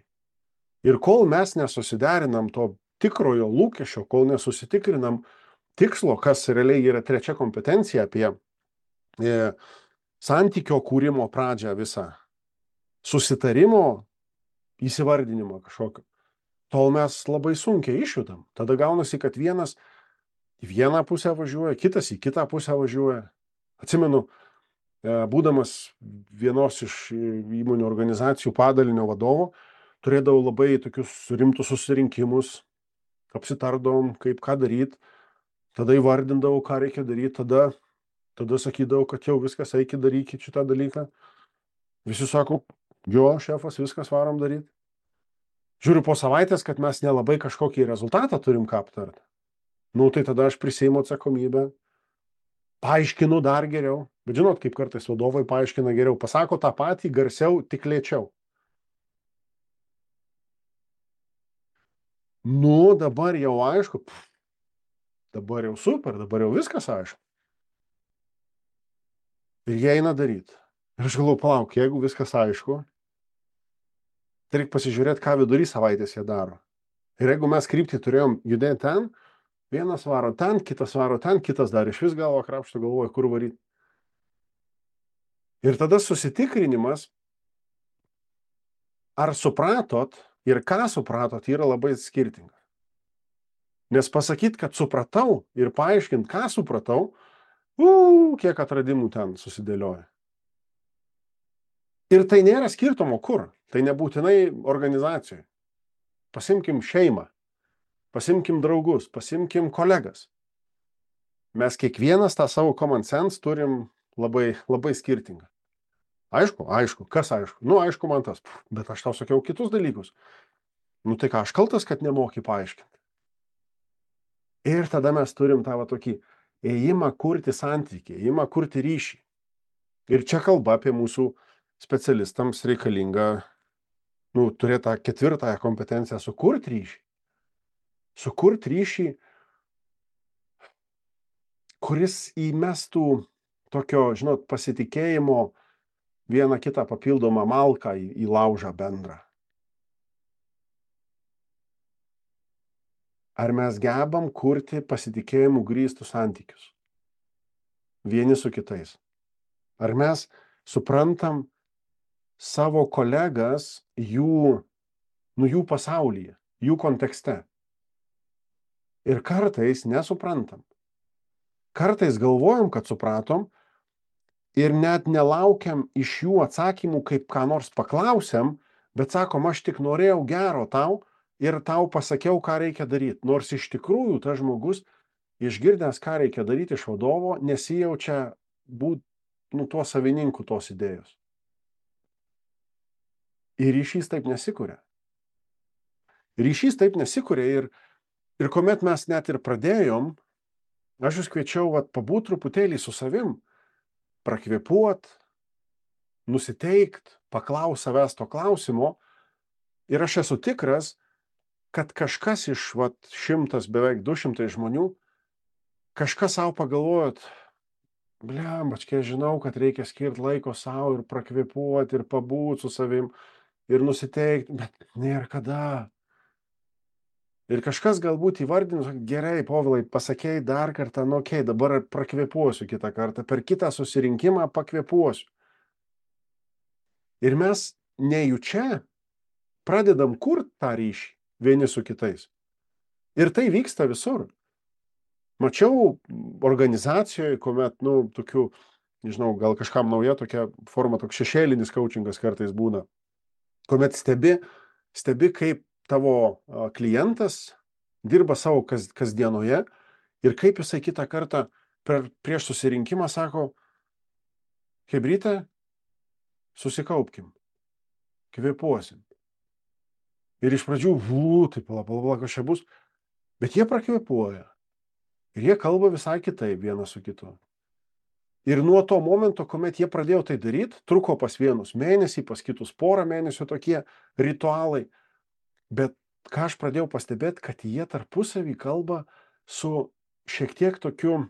Ir kol mes nesusiderinam to tikrojo lūkesčio, kol nesusitikrinam tikslo, kas realiai yra trečia kompetencija apie e, santykio kūrimo pradžią visą, susitarimo įsivardinimo kažkokio, tol mes labai sunkiai išjudam. Tada gaunasi, kad vienas į vieną pusę važiuoja, kitas į kitą pusę važiuoja. Atsimenu, būdamas vienos iš įmonių organizacijų padalinio vadovo, turėdavau labai tokius rimtus susirinkimus, apsitardom, kaip ką daryti, tada įvardindavau, ką reikia daryti, tada, tada sakydavau, kad jau viskas, eikit darykit šitą dalyką. Visi sako, jo, šefas, viskas varom daryti. Žiūriu po savaitės, kad mes nelabai kažkokį rezultatą turim ką aptarti. Nu, tai tada aš priseimu atsakomybę, paaiškinu dar geriau. Bet žinot, kaip kartais vadovai paaiškina geriau, pasako tą patį garsiau, tik lėčiau. Nu, dabar jau aišku, pff, dabar jau super, dabar jau viskas aišku. Ir jie eina daryti. Ir aš galvoju, palauk, jeigu viskas aišku, tai reikia pasižiūrėti, ką vidury savaitės jie daro. Ir jeigu mes kryptį turėjom judėti ten, vienas varo ten, kitas varo ten, kitas dar iš vis galvo krapšto, galvoja, kur varyti. Ir tada susitikrinimas, ar supratot ir ką supratot, yra labai skirtingas. Nes pasakyti, kad supratau ir paaiškinti, ką supratau, uu, kiek atradimų ten susidėlioja. Ir tai nėra skirtumo kur. Tai nebūtinai organizacijoje. Pasimkim šeimą, pasimkim draugus, pasimkim kolegas. Mes kiekvienas tą savo common sense turim labai, labai skirtingą. Aišku, aišku, kas aišku? Nu, aišku, man tas, bet aš tau sakiau kitus dalykus. Nu, tai ką, aš kaltas, kad nemoki paaiškinti. Ir tada mes turim tą va tokį ėjimą kurti santykį, ėjimą kurti ryšį. Ir čia kalba apie mūsų specialistams reikalinga, nu, turėti tą ketvirtąją kompetenciją sukurti ryšį. Sukurti ryšį, kuris įmestų tokio, žinot, pasitikėjimo vieną kitą papildomą malką į, į laužą bendrą. Ar mes gebam kurti pasitikėjimų grįstus santykius vieni su kitais? Ar mes suprantam savo kolegas jų, nu, jų pasaulyje, jų kontekste? Ir kartais nesuprantam. Kartais galvojam, kad supratom ir net nelaukiam iš jų atsakymų, kaip ką nors paklausiam, bet sakom, aš tik norėjau gero tau ir tau pasakiau, ką reikia daryti. Nors iš tikrųjų tas žmogus, išgirdęs, ką reikia daryti iš vadovo, nesijaučia būti, nu, tuo savininku tos idėjos. Ir ryšys taip nesikuria. Ryšys taip nesikuria ir, ir kuomet mes net ir pradėjom, aš jūs kviečiau vat, pabūt truputėlį su savim, prakvėpuot, nusiteikt, paklaus savęs to klausimo ir aš esu tikras, kad kažkas iš vat, šimtas, beveik du šimtai žmonių, kažkas savo pagalvojot, bliam, bačkiai, žinau, kad reikia skirti laiko savo ir prakvėpuoti ir pabūt su savim ir nusiteikti, bet nėra kada. Ir kažkas galbūt įvardins, gerai, Povilai, pasakėjai dar kartą, nu, okei, okay, dabar prakvėpuosiu kitą kartą, per kitą susirinkimą pakvėpuosiu. Ir mes nejučia pradedam kurti tą ryšį vieni su kitais. Ir tai vyksta visur. Mačiau organizacijoje, kuomet, nu, tokių, nežinau, gal kažkam nauja tokia forma, toks šešėlinis coachingas kartais būna, kuomet stebi, stebi kaip tavo klientas dirba savo kas, kasdienoje ir kaip jisai kitą kartą per, prieš susirinkimą sako, chebryte, susikaupkim, kvėpuosim. Ir iš pradžių, vų, taip, pala, pala, pala, kas čia bus, bet jie prakvėpuoja. Ir jie kalba visai kitaip vienas su kitu. Ir nuo to momento, kuomet jie pradėjo tai daryti, truko pas vienus mėnesį, pas kitus porą mėnesių tokie ritualai. Bet ką aš pradėjau pastebėti, kad jie tarpusavį kalba su šiek tiek tokiu,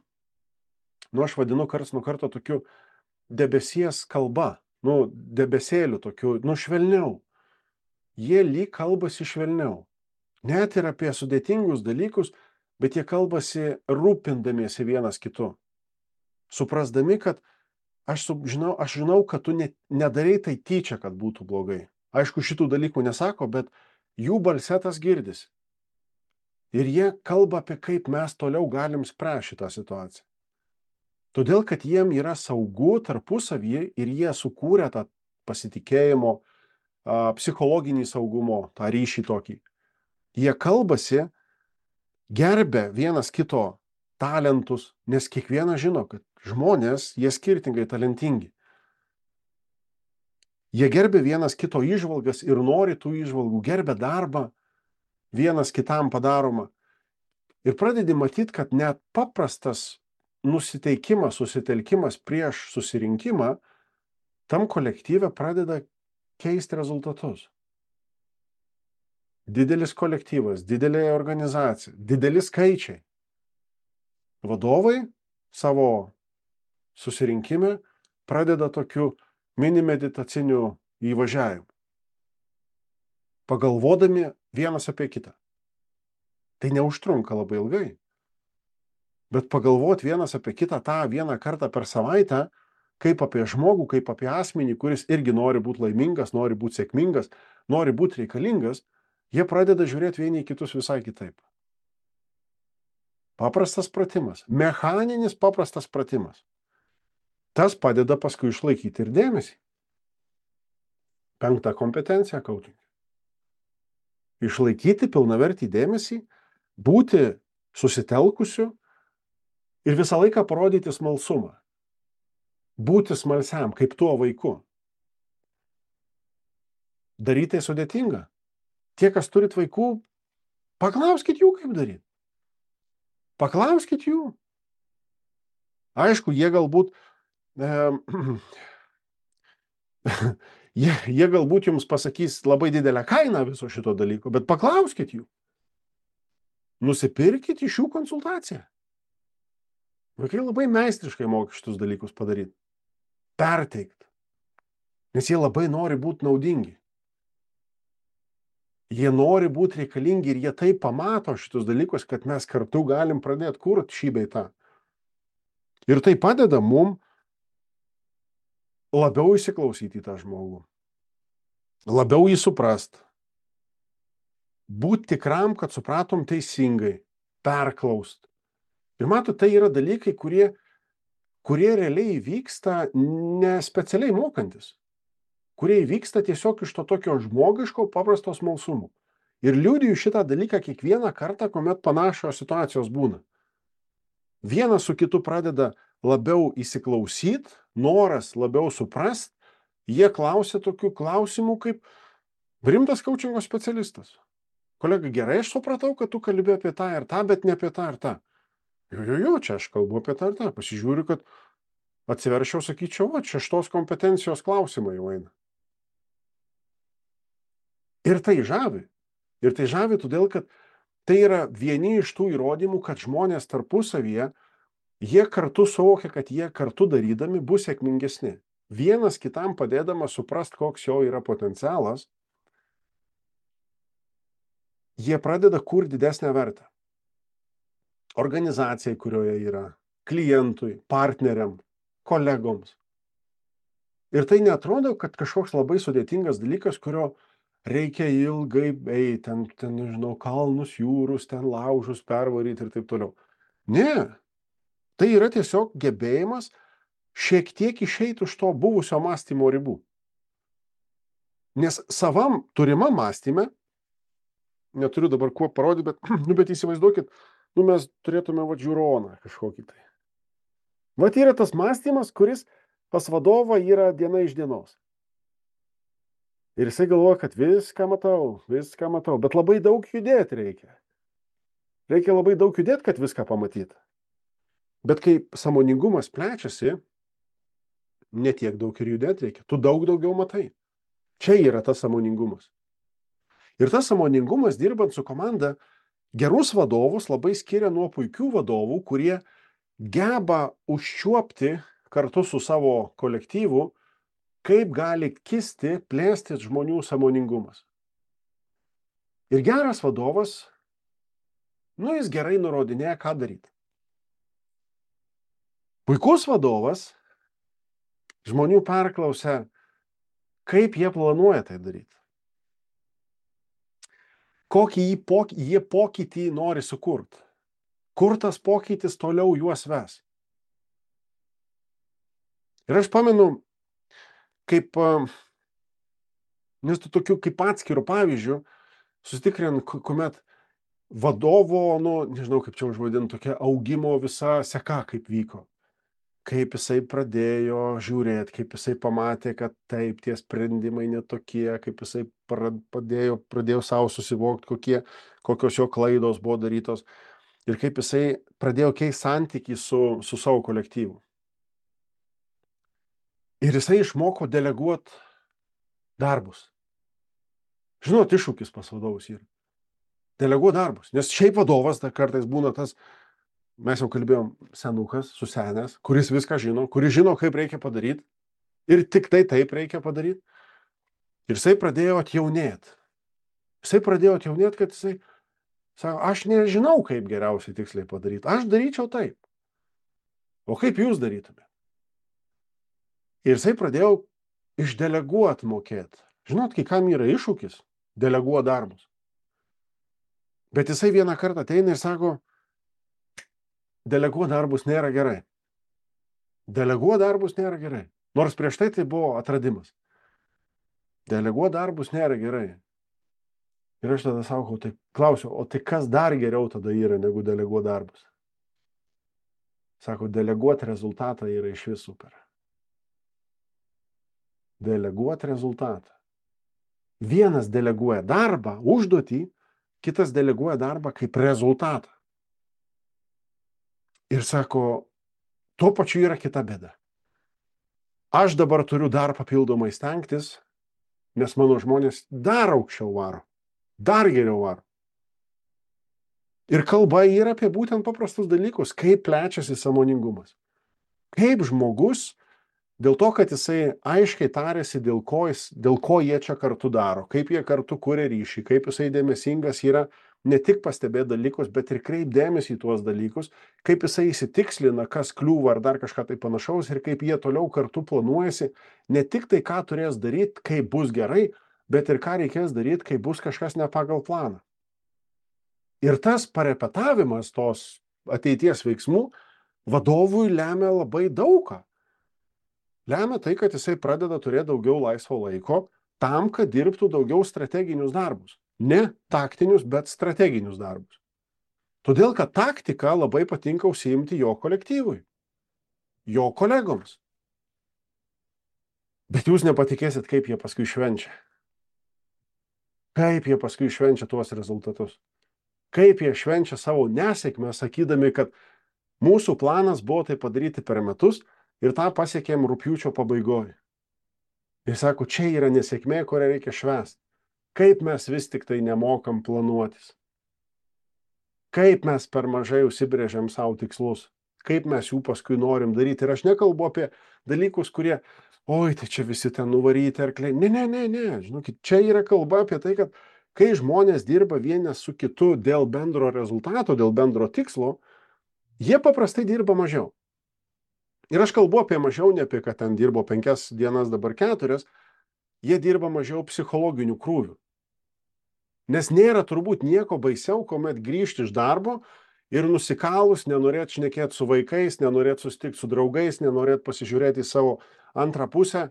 nu aš vadinu karts nuo karto tokiu debesies kalba, nu debesėliu tokiu, nu švelniau. Jie lyg kalbasi švelniau. Net ir apie sudėtingus dalykus, bet jie kalbasi rūpindamiesi vienas kitu. Suprasdami, kad aš žinau, aš žinau kad tu ne, nedarai tai tyčia, kad būtų blogai. Aišku, šitų dalykų nesako, bet jų balse tas girdisi. Ir jie kalba apie kaip mes toliau galim spręsti šitą situaciją. Todėl, kad jiem yra saugu tarpusavyje ir jie sukūrė tą pasitikėjimo, psichologinį saugumo, tą ryšį tokį. Jie kalbasi, gerbia vienas kito talentus, nes kiekvienas žino, kad žmonės, jie skirtingai talentingi. Jie gerbia vienas kito įžvalgas ir nori tų įžvalgų, gerbia darbą, vienas kitam padaroma. Ir pradedi matyti, kad net paprastas nusiteikimas, susitelkimas prieš susirinkimą, tam kolektyve pradeda keisti rezultatus. Didelis kolektyvas, didelė organizacija, dideli skaičiai. Vadovai savo susirinkime pradeda tokiu mini meditaciniu įvažiavimu, pagalvodami vienas apie kitą. Tai neužtrunka labai ilgai, bet pagalvoti vienas apie kitą tą vieną kartą per savaitę, kaip apie žmogų, kaip apie asmenį, kuris irgi nori būti laimingas, nori būti sėkmingas, nori būti reikalingas, jie pradeda žiūrėti vieni į kitus visai kitaip. Paprastas pratimas, mechaninis paprastas pratimas. Tas padeda paskui išlaikyti ir dėmesį. Penkta kompetencija coaching. Išlaikyti pilnavertį dėmesį, būti susitelkusiu ir visą laiką parodyti smalsumą. Būti smalsiam, kaip tuo vaiku. Daryti tai sudėtinga. Tie, kas turit vaikų, paklauskit jų, kaip daryti. Paklauskit jų. Aišku, jie galbūt e, jie, jie galbūt jums pasakys labai didelę kainą viso šito dalyko, bet paklauskit jų. Nusipirkit iš jų konsultaciją. Vaikai labai meistriškai moka šitus dalykus padaryti. Perteikt. Nes jie labai nori būti naudingi. Jie nori būti reikalingi ir jie taip pamato šitus dalykus, kad mes kartu galim pradėti kurti šį bei tą. Ir tai padeda mum labiau įsiklausyti į tą žmogų. Labiau jį suprast. Būt tikram, kad supratom teisingai. Perklaust. Ir matot, tai yra dalykai, kurie, kurie realiai vyksta ne specialiai mokantis. Kurie vyksta tiesiog iš to tokio žmogiško paprasto smalsumo. Ir liudiju šitą dalyką kiekvieną kartą, kuomet panašios situacijos būna. Vienas su kitu pradeda labiau įsiklausyt, noras labiau suprast, jie klausia tokių klausimų kaip rimtas coachingo specialistas. Kolega, gerai, aš supratau, kad tu kalbi apie tą ir tą, bet ne apie tą ir tą. Jo, jo, jo, čia aš kalbu apie tą ir tą. Pasižiūriu, kad atsiverčiau, sakyčiau, va, čia šitos kompetencijos klausimai jau eina. Ir tai žavi. Ir tai žavi todėl, kad tai yra vieni iš tų įrodymų, kad žmonės tarpusavyje, jie kartu suvokia, kad jie kartu darydami bus sėkmingesni. Vienas kitam padėdamas suprast, koks jo yra potencialas, jie pradeda kurti didesnę vertę. Organizacijai, kurioje yra, klientui, partneriam, kolegoms. Ir tai neatrodo, kad kažkoks labai sudėtingas dalykas, kurio reikia ilgai eiti, ten, ten, nežinau, kalnus, jūrus, ten laužus pervaryti ir taip toliau. Ne, tai yra tiesiog gebėjimas šiek tiek išeiti už to buvusio mąstymo ribų. Nes savam turimam mąstyme, neturiu dabar kuo parodyti, bet, nu, bet įsivaizduokit, nu, mes turėtume va žiūroną kažkokį tai. Vat yra tas mąstymas, kuris pas vadovą yra diena iš dienos. Ir jisai galvoja, kad viską matau, viską matau, bet labai daug judėti reikia. Reikia labai daug judėti, kad viską pamatyti. Bet kai sąmoningumas plečiasi, netiek daug ir judėti reikia. Tu daug daugiau matai. Čia yra tas sąmoningumas. Ir tas sąmoningumas, dirbant su komanda, gerus vadovus labai skiria nuo puikių vadovų, kurie geba užčiuopti kartu su savo kolektyvu, kaip gali kisti, plėstis žmonių sąmoningumas. Ir geras vadovas, nu, jis gerai nurodinėja, ką daryti. Puikus vadovas žmonių perklausia, kaip jie planuoja tai daryti. Kokį jį poky, jie pokytį nori sukurti. Kur tas pokytis toliau juos ves. Ir aš pamenu, kaip, nes tu tokiu kaip atskirų pavyzdžių, susitikrint, kuomet vadovo, nu, nežinau kaip čia užvadinti, tokia augimo visa seka kaip vyko. Kaip jisai pradėjo žiūrėti, kaip jisai pamatė, kad taip, tie sprendimai netokie, kaip jisai pradėjo, pradėjo savo susivokti, kokie, kokios jo klaidos buvo darytos ir kaip jisai pradėjo keisti santykį su, su savo kolektyvu. Ir jisai išmoko deleguoti darbus. Žinot, iššūkis pas vadovus yra. Deleguoti darbus. Nes šiaip vadovas dar kartais būna tas, mes jau kalbėjom, senukas, susenęs, kuris viską žino, kuris žino, kaip reikia padaryti ir tik tai taip reikia padaryti. Ir jisai pradėjo atjaunėti. Jisai pradėjo atjaunėti, kad jisai sako, aš nežinau, kaip geriausiai tiksliai padaryti. Aš daryčiau taip. O kaip jūs darytumėte? Ir jisai pradėjo išdeleguoti mokėti. Žinot, kai kam yra iššūkis deleguoti darbus. Bet jisai vieną kartą ateina ir sako, deleguoti darbus nėra gerai. Deleguoti darbus nėra gerai. Nors prieš tai tai buvo atradimas. Deleguoti darbus nėra gerai. Ir aš tada sakau, tai klausiu, o tai kas dar geriau tada yra negu deleguoti darbus? Sako, deleguoti rezultatą yra iš vis super. Deleguoti rezultatą. Vienas deleguoja darbą, užduotį, kitas deleguoja darbą kaip rezultatą. Ir sako, tuo pačiu yra kita bėda. Aš dabar turiu dar papildomai stengtis, nes mano žmonės dar aukščiau varo, dar geriau varo. Ir kalba yra apie būtent paprastus dalykus, kaip plečiasi sąmoningumas. Kaip žmogus, dėl to, kad jisai aiškiai tarėsi, dėl ko, jis, dėl ko jie čia kartu daro, kaip jie kartu kuria ryšį, kaip jisai dėmesingas yra ne tik pastebėti dalykus, bet ir kreip dėmesį į tuos dalykus, kaip jisai įsitikslina, kas kliūva ar dar kažką tai panašaus ir kaip jie toliau kartu planuojasi, ne tik tai, ką turės daryti, kaip bus gerai, bet ir ką reikės daryti, kai bus kažkas ne pagal planą. Ir tas parepetavimas tos ateities veiksmų vadovui lemia labai daugą. Lemia tai, kad jisai pradeda turėti daugiau laisvo laiko tam, kad dirbtų daugiau strateginius darbus. Ne taktinius, bet strateginius darbus. Todėl, kad taktika labai patinka užsiimti jo kolektyvui, jo kolegoms. Bet jūs nepatikėsit, kaip jie paskui švenčia. Kaip jie paskui švenčia tuos rezultatus. Kaip jie švenčia savo nesėkmę, sakydami, kad mūsų planas buvo tai padaryti per metus ir tą pasiekėm rugpjūčio pabaigoje. Ir sako, čia yra nesėkmė, kurią reikia švęsti. Kaip mes vis tik tai nemokam planuotis. Kaip mes per mažai užsibrėžiam savo tikslus. Kaip mes jų paskui norim daryti. Ir aš nekalbu apie dalykus, kurie, oi, tai čia visi ten nuvaryti arkliai. Ne, ne, ne, ne. Žinokit, čia yra kalba apie tai, kad kai žmonės dirba vienas su kitu dėl bendro rezultato, dėl bendro tikslo, jie paprastai dirba mažiau. Ir aš kalbu apie mažiau, ne apie, kad ten dirbo penkias dienas, dabar keturias, jie dirba mažiau psichologinių krūvių. Nes nėra turbūt nieko baisiau, kuomet grįžti iš darbo ir nusikalus, nenorėt šnekėti su vaikais, nenorėt susitikti su draugais, nenorėt pasižiūrėti į savo antrą pusę.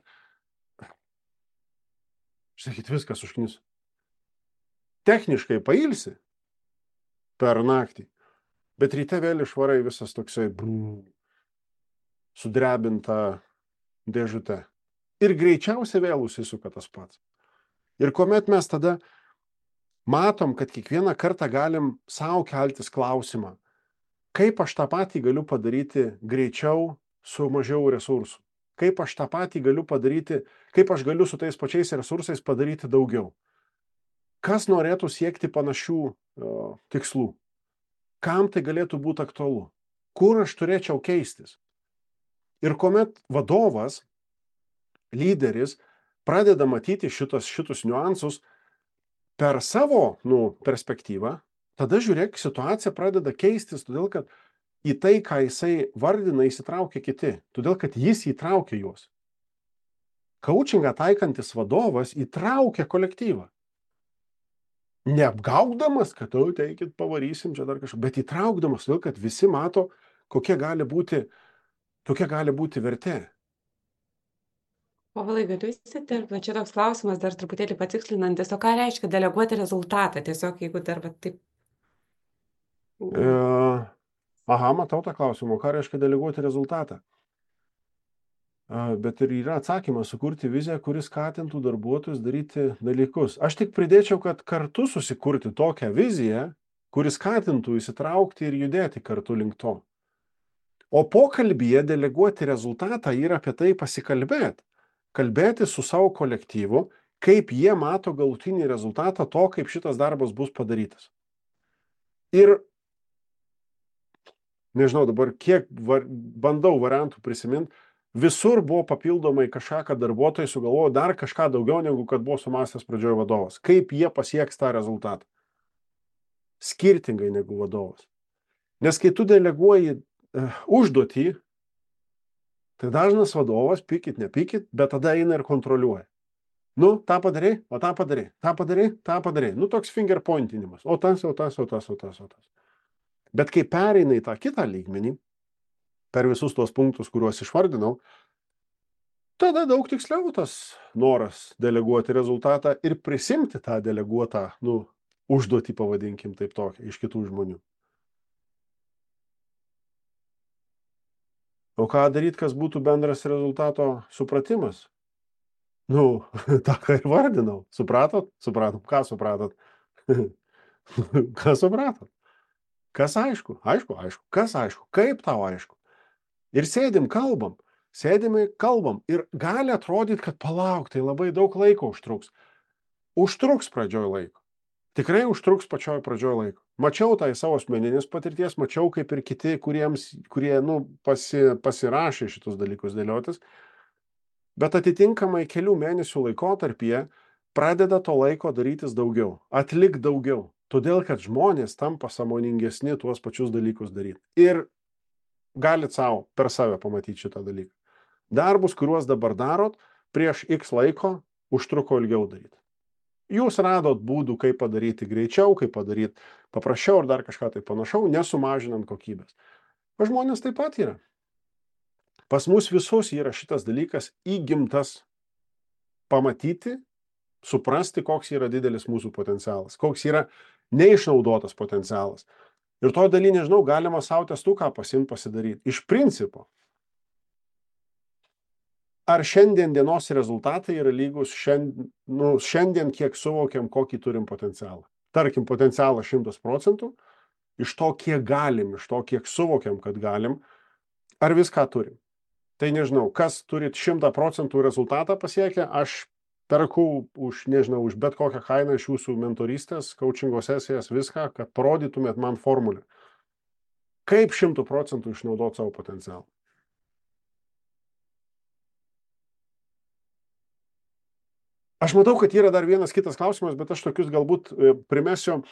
Sakyt, viskas užknis. Techniškai pailsi per naktį, bet ryte vėl išvarai visas toksai brū, sudrebinta dėžute. Ir greičiausiai vėl užsisuka tas pats. Ir kuomet mes tada matom, kad kiekvieną kartą galim savo keltis klausimą, kaip aš tą patį galiu padaryti greičiau su mažiau resursų. kaip aš tą patį galiu padaryti, kaip aš galiu su tais pačiais resursais padaryti daugiau. Kas norėtų siekti panašių o, tikslų? Kam tai galėtų būti aktualu? Kur aš turėčiau keistis? Ir kuomet vadovas, lyderis, pradeda matyti šitos, šitus niuansus per savo nu, perspektyvą, tada žiūrėk, situacija pradeda keistis, todėl kad į tai, ką jisai vardina, įsitraukia kiti, todėl kad jis įtraukia juos. Coachingą taikantis vadovas įtraukia kolektyvą. Neapgaukdamas, kad tu teikit, pavarysim čia dar kažką, bet įtraukdamas, todėl kad visi mato, kokia gali būti, kokia gali būti vertė. Povilai, galiu įsiterpti, čia toks klausimas dar truputėlį patikslinantis, o ką reiškia deleguoti rezultatą, tiesiog jeigu dar va, taip. E, aha, matau tą klausimą, ką reiškia deleguoti rezultatą. E, bet ir yra atsakymas sukurti viziją, kuris skatintų darbuotojus daryti dalykus. Aš tik pridėčiau, kad kartu susikurti tokią viziją, kuris skatintų įsitraukti ir judėti kartu link to. O pokalbyje deleguoti rezultatą yra apie tai pasikalbėti. Kalbėti su savo kolektyvu, kaip jie mato galutinį rezultatą to, kaip šitas darbas bus padarytas. Ir, nežinau dabar, kiek var, bandau variantų prisiminti, visur buvo papildomai kažką, kad darbuotojai sugalvojo dar kažką daugiau, negu kad buvo sumąstęs pradžioje vadovas. Kaip jie pasieks tą rezultatą. Skirtingai negu vadovas. Nes kai tu deleguoji uh, užduotį, tai dažnas vadovas, pykit, nepykit, bet tada eina ir kontroliuoja. Nu, tą padarai, o tą padarai, tą padarai, tą padarai. Nu, toks finger pointinimas. O tas, o tas, o tas, o tas, o tas. Bet kai pereina į tą kitą lygmenį, per visus tuos punktus, kuriuos išvardinau, tada daug tiksliau tas noras deleguoti rezultatą ir prisimti tą deleguotą, nu, užduotį, pavadinkim taip tokią, iš kitų žmonių. O ką daryti, kas būtų bendras rezultato supratimas? Nu, tą, ką ir vardinau. Supratot? Supratom. Ką supratot? Ką supratot? Kas aišku? Aišku, aišku. Kas aišku? Kaip tau aišku? Ir sėdim, kalbam. Sėdime, kalbam. Ir gali atrodyti, kad palauk, tai labai daug laiko užtruks. Užtruks pradžioj laiko. Tikrai užtruks pačioj pradžioj laiko. Mačiau tai savo asmeninės patirties, mačiau kaip ir kiti, kuriems, kurie nu, pasi, pasirašė šitus dalykus dėliotis, bet atitinkamai kelių mėnesių laikotarpyje pradeda to laiko darytis daugiau, atlik daugiau, todėl kad žmonės tampa sąmoningesni tuos pačius dalykus daryti. Ir galit savo per save pamatyti šitą dalyką. Darbus, kuriuos dabar darot, prieš X laiko užtruko ilgiau daryti. Jūs radot būdų, kaip padaryti greičiau, kaip padaryti paprasčiau ar dar kažką tai panašau, nesumažinant kokybės. O žmonės taip pat yra. Pas mus visus yra šitas dalykas įgimtas pamatyti, suprasti, koks yra didelis mūsų potencialas, koks yra neišnaudotas potencialas. Ir to daly, nežinau, galima savo testuką pasimti pasidaryti. Iš principo. Ar šiandien dienos rezultatai yra lygus šiandien, nu, šiandien kiek suvokiam, kokį turim potencialą. Tarkim, potencialą šimtas procentų, iš to, kiek galim, iš to, kiek suvokiam, kad galim, ar viską turim. Tai nežinau, kas turit šimtą procentų rezultatą pasiekę, aš perku už, nežinau, už bet kokią kainą iš jūsų mentorystės, coachingo sesijas, viską, kad parodytumėt man formulę. Kaip šimtų procentų išnaudoti savo potencialą. Aš matau, kad yra dar vienas kitas klausimas, bet aš tokius galbūt primesiu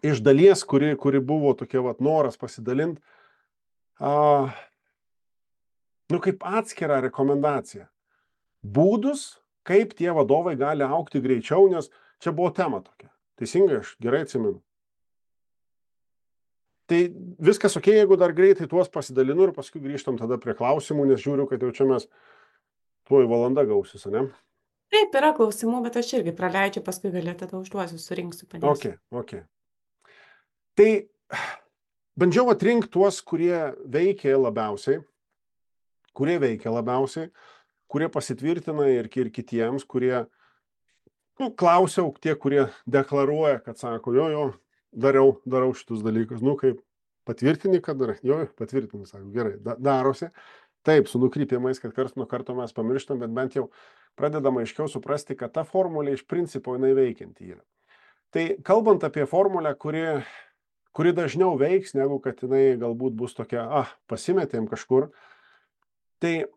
iš dalies, kuri, kuri buvo tokia vat, noras pasidalinti, a, nu kaip atskirą rekomendaciją. Būdus, kaip tie vadovai gali augti greičiau, nes čia buvo tema tokia. Teisingai, aš gerai atsimenu. Tai viskas ok, jeigu dar greitai tuos pasidalinu ir paskui grįžtam tada prie klausimų, nes žiūriu, kad jau čia mes tuoj valanda gausis, ne? Taip, yra klausimų, bet aš irgi praleidžiu, paskui galėtų tada užduosiu, surinksiu, padėsiu. Ok, ok. Tai bandžiau atrinkti tuos, kurie veikia labiausiai, kurie veikia labiausiai, kurie pasitvirtina ir, ir kitiems, kurie, nu, klausiau tie, kurie deklaruoja, kad sako, jo, jo, dariau, darau šitus dalykus. Nu, kaip patvirtini, kad darai, jo, patvirtini, sako, gerai, da, darosi. taip, su nukrypimais, kad karts nuo karto mes pamirštam, bet bent jau pradedam aiškiau suprasti, kad ta formulė iš principo jinai veikianti yra. Tai kalbant apie formulę, kuri, kuri dažniau veiks, negu kad jinai galbūt bus tokia, ah, pasimetėm kažkur, tai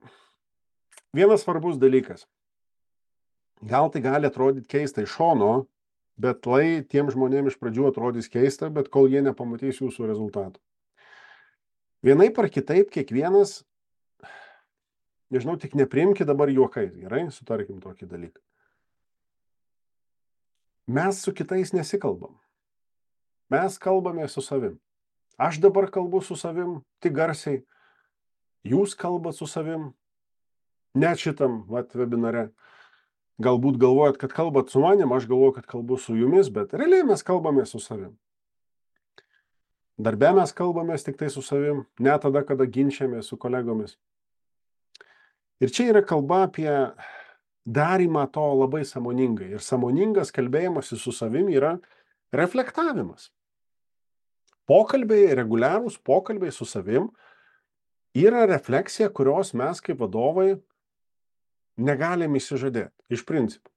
vienas svarbus dalykas. Gal tai gali atrodyti keista iš šono, bet lai tiem žmonėm iš pradžių atrodys keista, bet kol jie nepamatys jūsų rezultatų. Vienaip ar kitaip kiekvienas, nežinau, tik nepriimki dabar juokais, gerai, sutarkim tokį dalyką. Mes su kitais nesikalbam. Mes kalbame su savim. Aš dabar kalbu su savim, tik garsiai. Jūs kalbat su savim, net šitam vat, webinare. Galbūt galvojat, kad kalbat su manim, aš galvoju, kad kalbu su jumis, bet realiai mes kalbame su savim. Darbe mes kalbame tik tai su savim, ne tada, kada ginčiamės su kolegomis. Ir čia yra kalba apie darymą to labai sąmoningai. Ir sąmoningas kalbėjimas su savim yra reflektavimas. Pokalbiai, reguliarūs pokalbiai su savim yra refleksija, kurios mes kaip vadovai negalim įsižadėti, iš principo.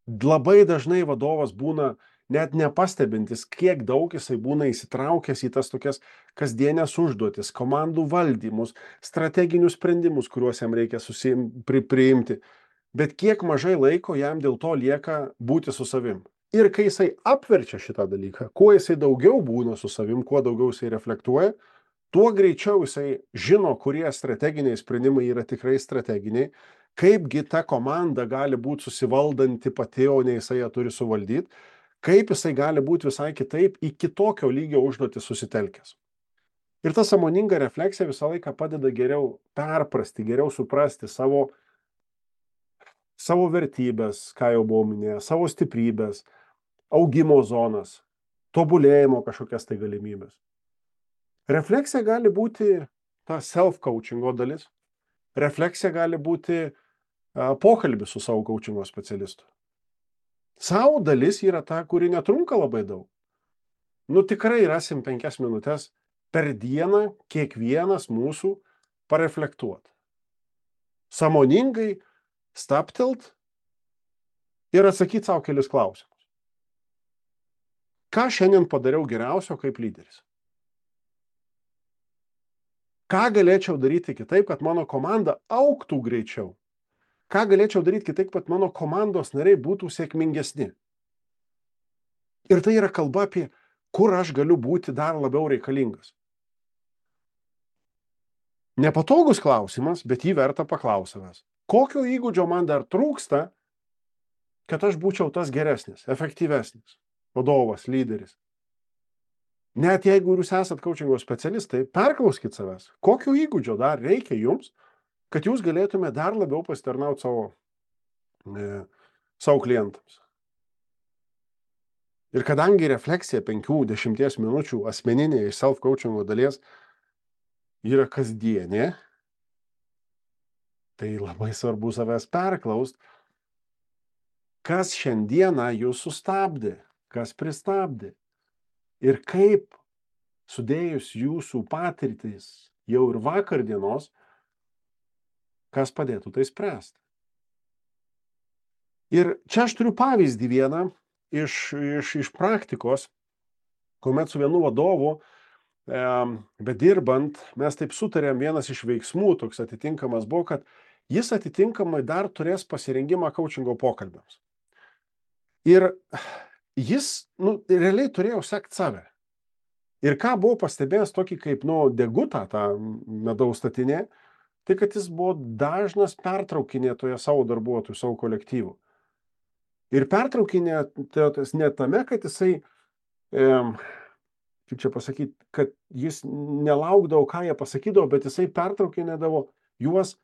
Labai dažnai vadovas būna net nepastebintis, kiek daug jisai būna įsitraukęs į tas tokias kasdienės užduotis, komandų valdymus, strateginius sprendimus, kuriuos jam reikia susim, pri, priimti. Bet kiek mažai laiko jam dėl to lieka būti su savim. Ir kai jisai apverčia šitą dalyką, kuo jisai daugiau būna su savim, kuo daugiau jisai reflektuoja, tuo greičiau jisai žino, kurie strateginiai sprendimai yra tikrai strateginiai, kaipgi ta komanda gali būti susivaldanti pati, o ne jisai ją turi suvaldyti, kaip jisai gali būti visai kitaip į kitokio lygio užduotį susitelkęs. Ir ta sąmoninga refleksija visą laiką padeda geriau perprasti, geriau suprasti savo, savo vertybės, ką jau buvau minėjęs, savo stiprybės, augimo zonas, tobulėjimo kažkokias tai galimybės. Refleksija gali būti ta self-coachingo dalis. Refleksija gali būti a, pokalbis su savo coachingo specialistu. Savo dalis yra ta, kuri netrunka labai daug. Nu tikrai rasim penkias minutės per dieną kiekvienas mūsų pareflektuoti. Sąmoningai staptelt ir atsakyti savo kelis klausimus. Ką šiandien padariau geriausio kaip lyderis? Ką galėčiau daryti kitaip, kad mano komanda augtų greičiau? Ką galėčiau daryti kitaip, kad mano komandos nariai būtų sėkmingesni? Ir tai yra kalba apie, kur aš galiu būti dar labiau reikalingas. Nepatogus klausimas, bet jį verta paklausavęs. Kokio įgūdžio man dar trūksta, kad aš būčiau tas geresnis, efektyvesnis vadovas, lyderis? Net jeigu jūs esat coachingo specialistai, perklauskit savęs, kokio įgūdžio dar reikia jums, kad jūs galėtume dar labiau pasitarnauti savo, e, savo klientams. Ir kadangi refleksija penkių dešimties minučių asmeninė iš self-coachingo dalies yra kasdienė, tai labai svarbu savęs perklaust, kas šiandieną jūs sustabdė, kas pristabdė. Ir kaip sudėjus jūsų patirtis jau ir vakar dienos, kas padėtų tai spręsti. Ir čia aš turiu pavyzdį vieną iš, iš, iš praktikos, kuomet su vienu vadovu, e, bedirbant, mes taip sutarėm, vienas iš veiksmų toks atitinkamas buvo, kad jis atitinkamai dar turės pasirengimą coachingo pokalbiams. Ir jis, nu, realiai turėjo sekti save. Ir ką buvo pastebėjęs tokį kaip, nu, degutą, tą medaus statinė, tai kad jis buvo dažnas pertraukinėtoje savo darbuotojų, savo kolektyvų. Ir pertraukinėtojas ne tame, kad jisai, e, kaip čia pasakyti, kad jis nelaukdavo, ką jie pasakydavo, bet jisai pertraukinėdavo juos,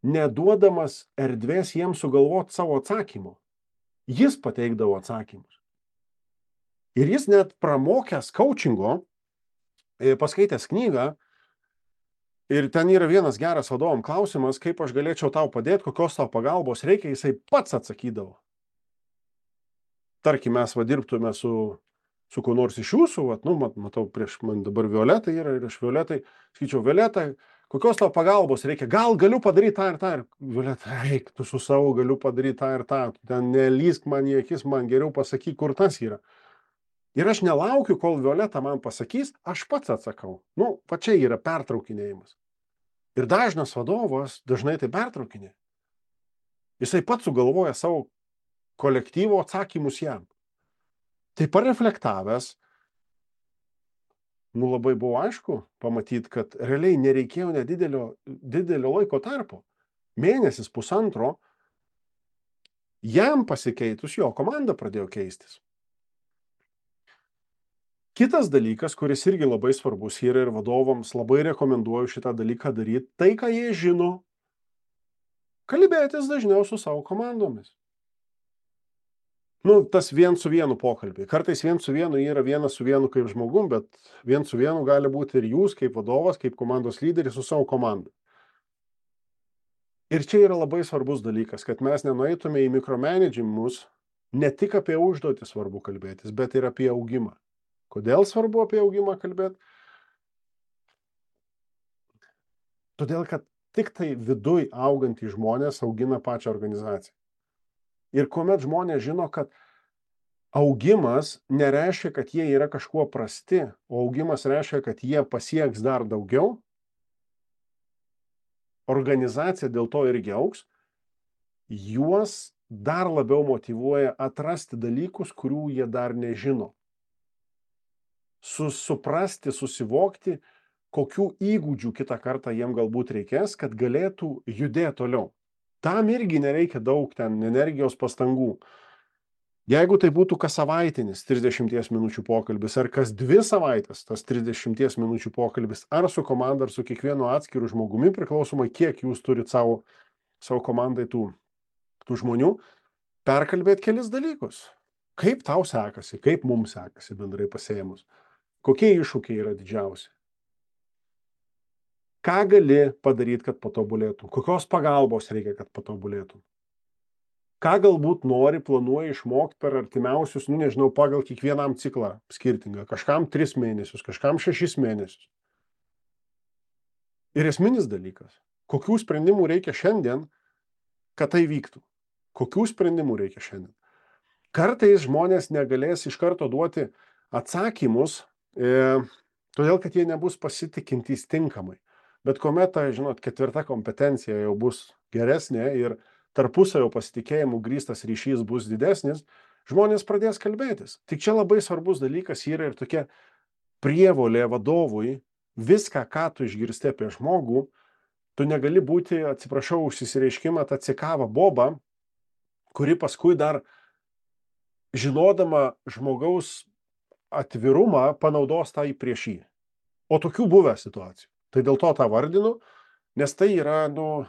neduodamas erdvės jiems sugalvoti savo atsakymų. Jis pateikdavo atsakymus. Ir jis net pramokęs coachingo, paskaitęs knygą, ir ten yra vienas geras vadovam klausimas, kaip aš galėčiau tau padėti, kokios tau pagalbos reikia, jisai pats atsakydavo. Tarkim, mes va dirbtume su su kuo nors iš jūsų, vat, nu, mat, matau, prieš man dabar Violetai yra ir aš Violetai, sakyčiau, Violeta, kokios tau pagalbos reikia, gal galiu padaryti tą ir tą, ir Violeta, eik, tu su savo galiu padaryti tą ir tą, tu ten nelysk man į akis, man geriau pasakyk, kur tas yra. Ir aš nelaukiu, kol Violeta man pasakys, aš pats atsakau. Nu, va čia yra pertraukinėjimas. Ir dažnas vadovas dažnai tai pertraukinė. Jisai pats sugalvoja savo kolektyvo atsakymus jam. Tai pareflektavęs, nu labai buvo aišku pamatyti, kad realiai nereikėjo nedidelio didelio laiko tarpo. Mėnesis, pusantro, jam pasikeitus, jo komanda pradėjo keistis. Kitas dalykas, kuris irgi labai svarbus yra ir vadovams labai rekomenduoju šitą dalyką daryti, tai, ką jie žino, kalbėtis dažniau su savo komandomis. Nu, tas vien su vienu pokalbį. Kartais vien su vienu yra vienas su vienu kaip žmogum, bet vien su vienu gali būti ir jūs kaip vadovas, kaip komandos lyderis su savo komanda. Ir čia yra labai svarbus dalykas, kad mes nenueitume į mikromanagemus, ne tik apie užduotį svarbu kalbėtis, bet ir apie augimą. Kodėl svarbu apie augimą kalbėti? Todėl, kad tik tai viduj augantys žmonės augina pačią organizaciją. Ir kuomet žmonės žino, kad augimas nereiškia, kad jie yra kažkuo prasti, o augimas reiškia, kad jie pasieks dar daugiau, organizacija dėl to irgi augs, juos dar labiau motyvuoja atrasti dalykus, kurių jie dar nežino. Suprasti, susivokti, kokių įgūdžių kitą kartą jiem galbūt reikės, kad galėtų judėti toliau. Tam irgi nereikia daug ten energijos pastangų. Jeigu tai būtų kas savaitinis trisdešimties minučių pokalbis, ar kas dvi savaitės tas trisdešimties minučių pokalbis, ar su komanda, ar su kiekvienu atskiru žmogumi, priklausomai kiek jūs turit savo, savo komandai tų, tų žmonių, perkalbėti kelis dalykus. Kaip tau sekasi, kaip mums sekasi bendrai pasėjimus. Kokie iššūkiai yra didžiausi? Ką gali padaryti, kad patobulėtum? Kokios pagalbos reikia, kad patobulėtum? Ką galbūt nori, planuoji išmokti per artimiausius, nu nežinau, pagal kiekvienam ciklą skirtingą. Kažkam tris mėnesius, kažkam šešis mėnesius. Ir esminis dalykas. Kokių sprendimų reikia šiandien, kad tai vyktų? Kokių sprendimų reikia šiandien? Kartais žmonės negalės iš karto duoti atsakymus, E, todėl, kad jie nebus pasitikintys tinkamai. Bet kuomet ta, žinot, ketvirta kompetencija jau bus geresnė ir tarpusavio pasitikėjimų grįstas ryšys bus didesnis, žmonės pradės kalbėtis. Tik čia labai svarbus dalykas yra ir tokia prievolė vadovui, viską, ką tu išgirsti apie žmogų, tu negali būti, atsiprašau, užsireiškimą tą cikavą bobą, kuri paskui dar žinodama žmogaus atvirumą panaudos tai prieš jį. O tokių buvę situacijų. Tai dėl to tą vardinu, nes tai yra, nu,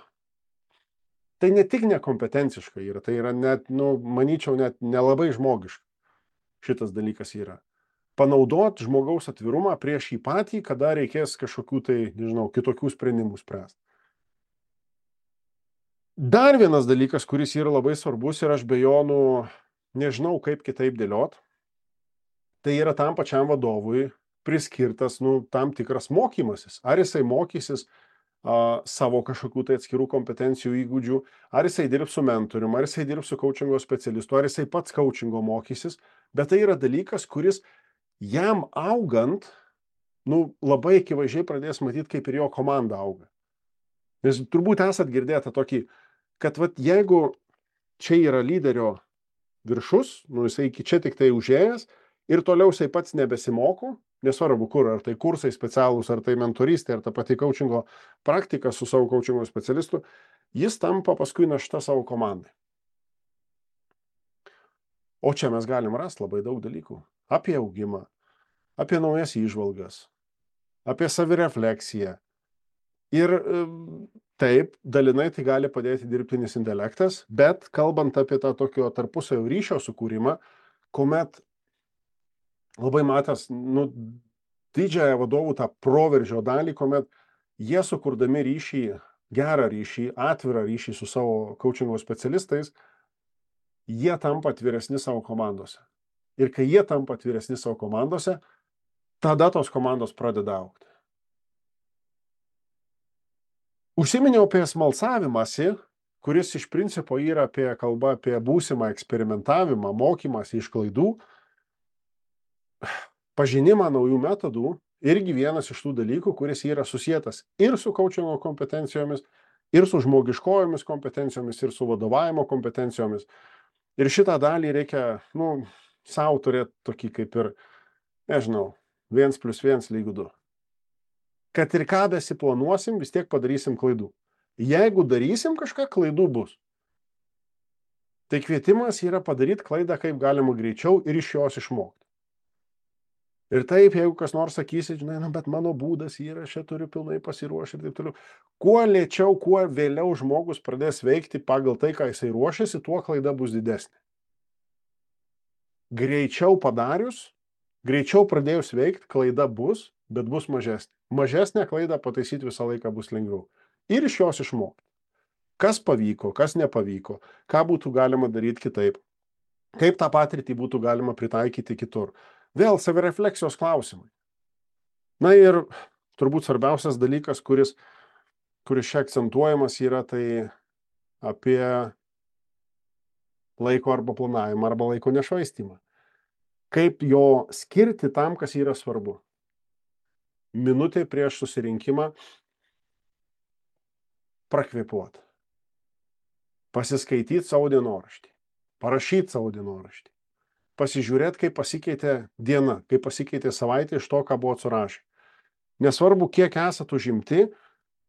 tai ne tik nekompetenciška yra, tai yra net, nu, manyčiau, net nelabai žmogiška. Šitas dalykas yra. Panaudot žmogaus atvirumą prieš jį patį, kada reikės kažkokių tai, nežinau, kitokių sprendimų spręsti. Dar vienas dalykas, kuris yra labai svarbus ir aš be jo, nu, nežinau, kaip kitaip dėliot, tai yra tam pačiam vadovui priskirtas, nu, tam tikras mokymasis. Ar jisai mokysis a, savo kažkokių tai atskirų kompetencijų įgūdžių, ar jisai dirbs su mentorium, ar jisai dirbs su coachingo specialistu, ar jisai pats coachingo mokysis, bet tai yra dalykas, kuris jam augant, nu, labai akivaizdžiai pradės matyti, kaip ir jo komanda auga. Nes turbūt esat girdėję tokį, kad vat, jeigu čia yra lyderio viršus, nu, jisai iki čia tik tai užėjęs, ir toliau jisai pats nebesimoko, nesvarbu kur, ar tai kursai specialūs, ar tai mentorystė, ar ta pati coachingo praktika su savo coachingo specialistu, jis tampa paskui našta savo komandai. O čia mes galim rasti labai daug dalykų. Apie augimą, apie naujas įžvalgas, apie savirefleksiją. Ir taip, dalinai tai gali padėti dirbtinis intelektas, bet kalbant apie tą tokio tarpusavio ryšio sukūrimą, kuomet labai matęs, nu, didžiąją vadovų tą proveržio dalį, kuomet jie sukurdami ryšį, gerą ryšį, atvirą ryšį su savo coachingo specialistais, jie tampa atviresni savo komandose. ir kai jie tampa atviresni savo komandose, tada tos komandos pradeda augti. Užsiminiau apie smalsavimąsi, kuris iš principo yra apie kalba apie būsimą eksperimentavimą, mokymąsi iš klaidų, pažinimą naujų metodų, irgi vienas iš tų dalykų, kuris yra susietas ir su coachingo kompetencijomis, ir su žmogiškojomis kompetencijomis, ir su vadovavimo kompetencijomis. Ir šitą dalį reikia, nu, savo turėti tokį kaip ir, nežinau, viens plus viens lygu du. Kad ir ką besiplanuosim, vis tiek padarysim klaidų. Jeigu darysim kažką, klaidų bus. Tai kvietimas yra padaryti klaidą kaip galima greičiau ir iš jos išmokti. Ir taip, jeigu kas nors sakysi, žinai, na, bet mano būdas yra, aš čia turiu pilnai pasiruošti ir taip toliau. Kuo lėčiau, kuo vėliau žmogus pradės veikti pagal tai, ką jisai ruošiasi, tuo klaida bus didesnė. Greičiau padarius, greičiau pradėjus veikti, klaida bus, bet bus mažesnė. Mažesnę klaidą pataisyti visą laiką bus lengviau. Ir iš jos išmokti. Kas pavyko, kas nepavyko, ką būtų galima daryti kitaip, kaip tą patirtį būtų galima pritaikyti kitur. Vėl savirefleksijos klausimai. Na ir turbūt svarbiausias dalykas, kuris, kuris čia akcentuojamas yra, tai apie laiko arba planavimą, arba laiko nešvaistymą. Kaip jo skirti tam, kas yra svarbu. Minutė prieš susirinkimą prakvėpuoti. Pasiskaityti savo dienoraštį. Parašyti savo dienoraštį. Pasižiūrėti, kaip pasikeitė diena, kaip pasikeitė savaitė iš to, ką buvo surašę. Nesvarbu, kiek esate užimti,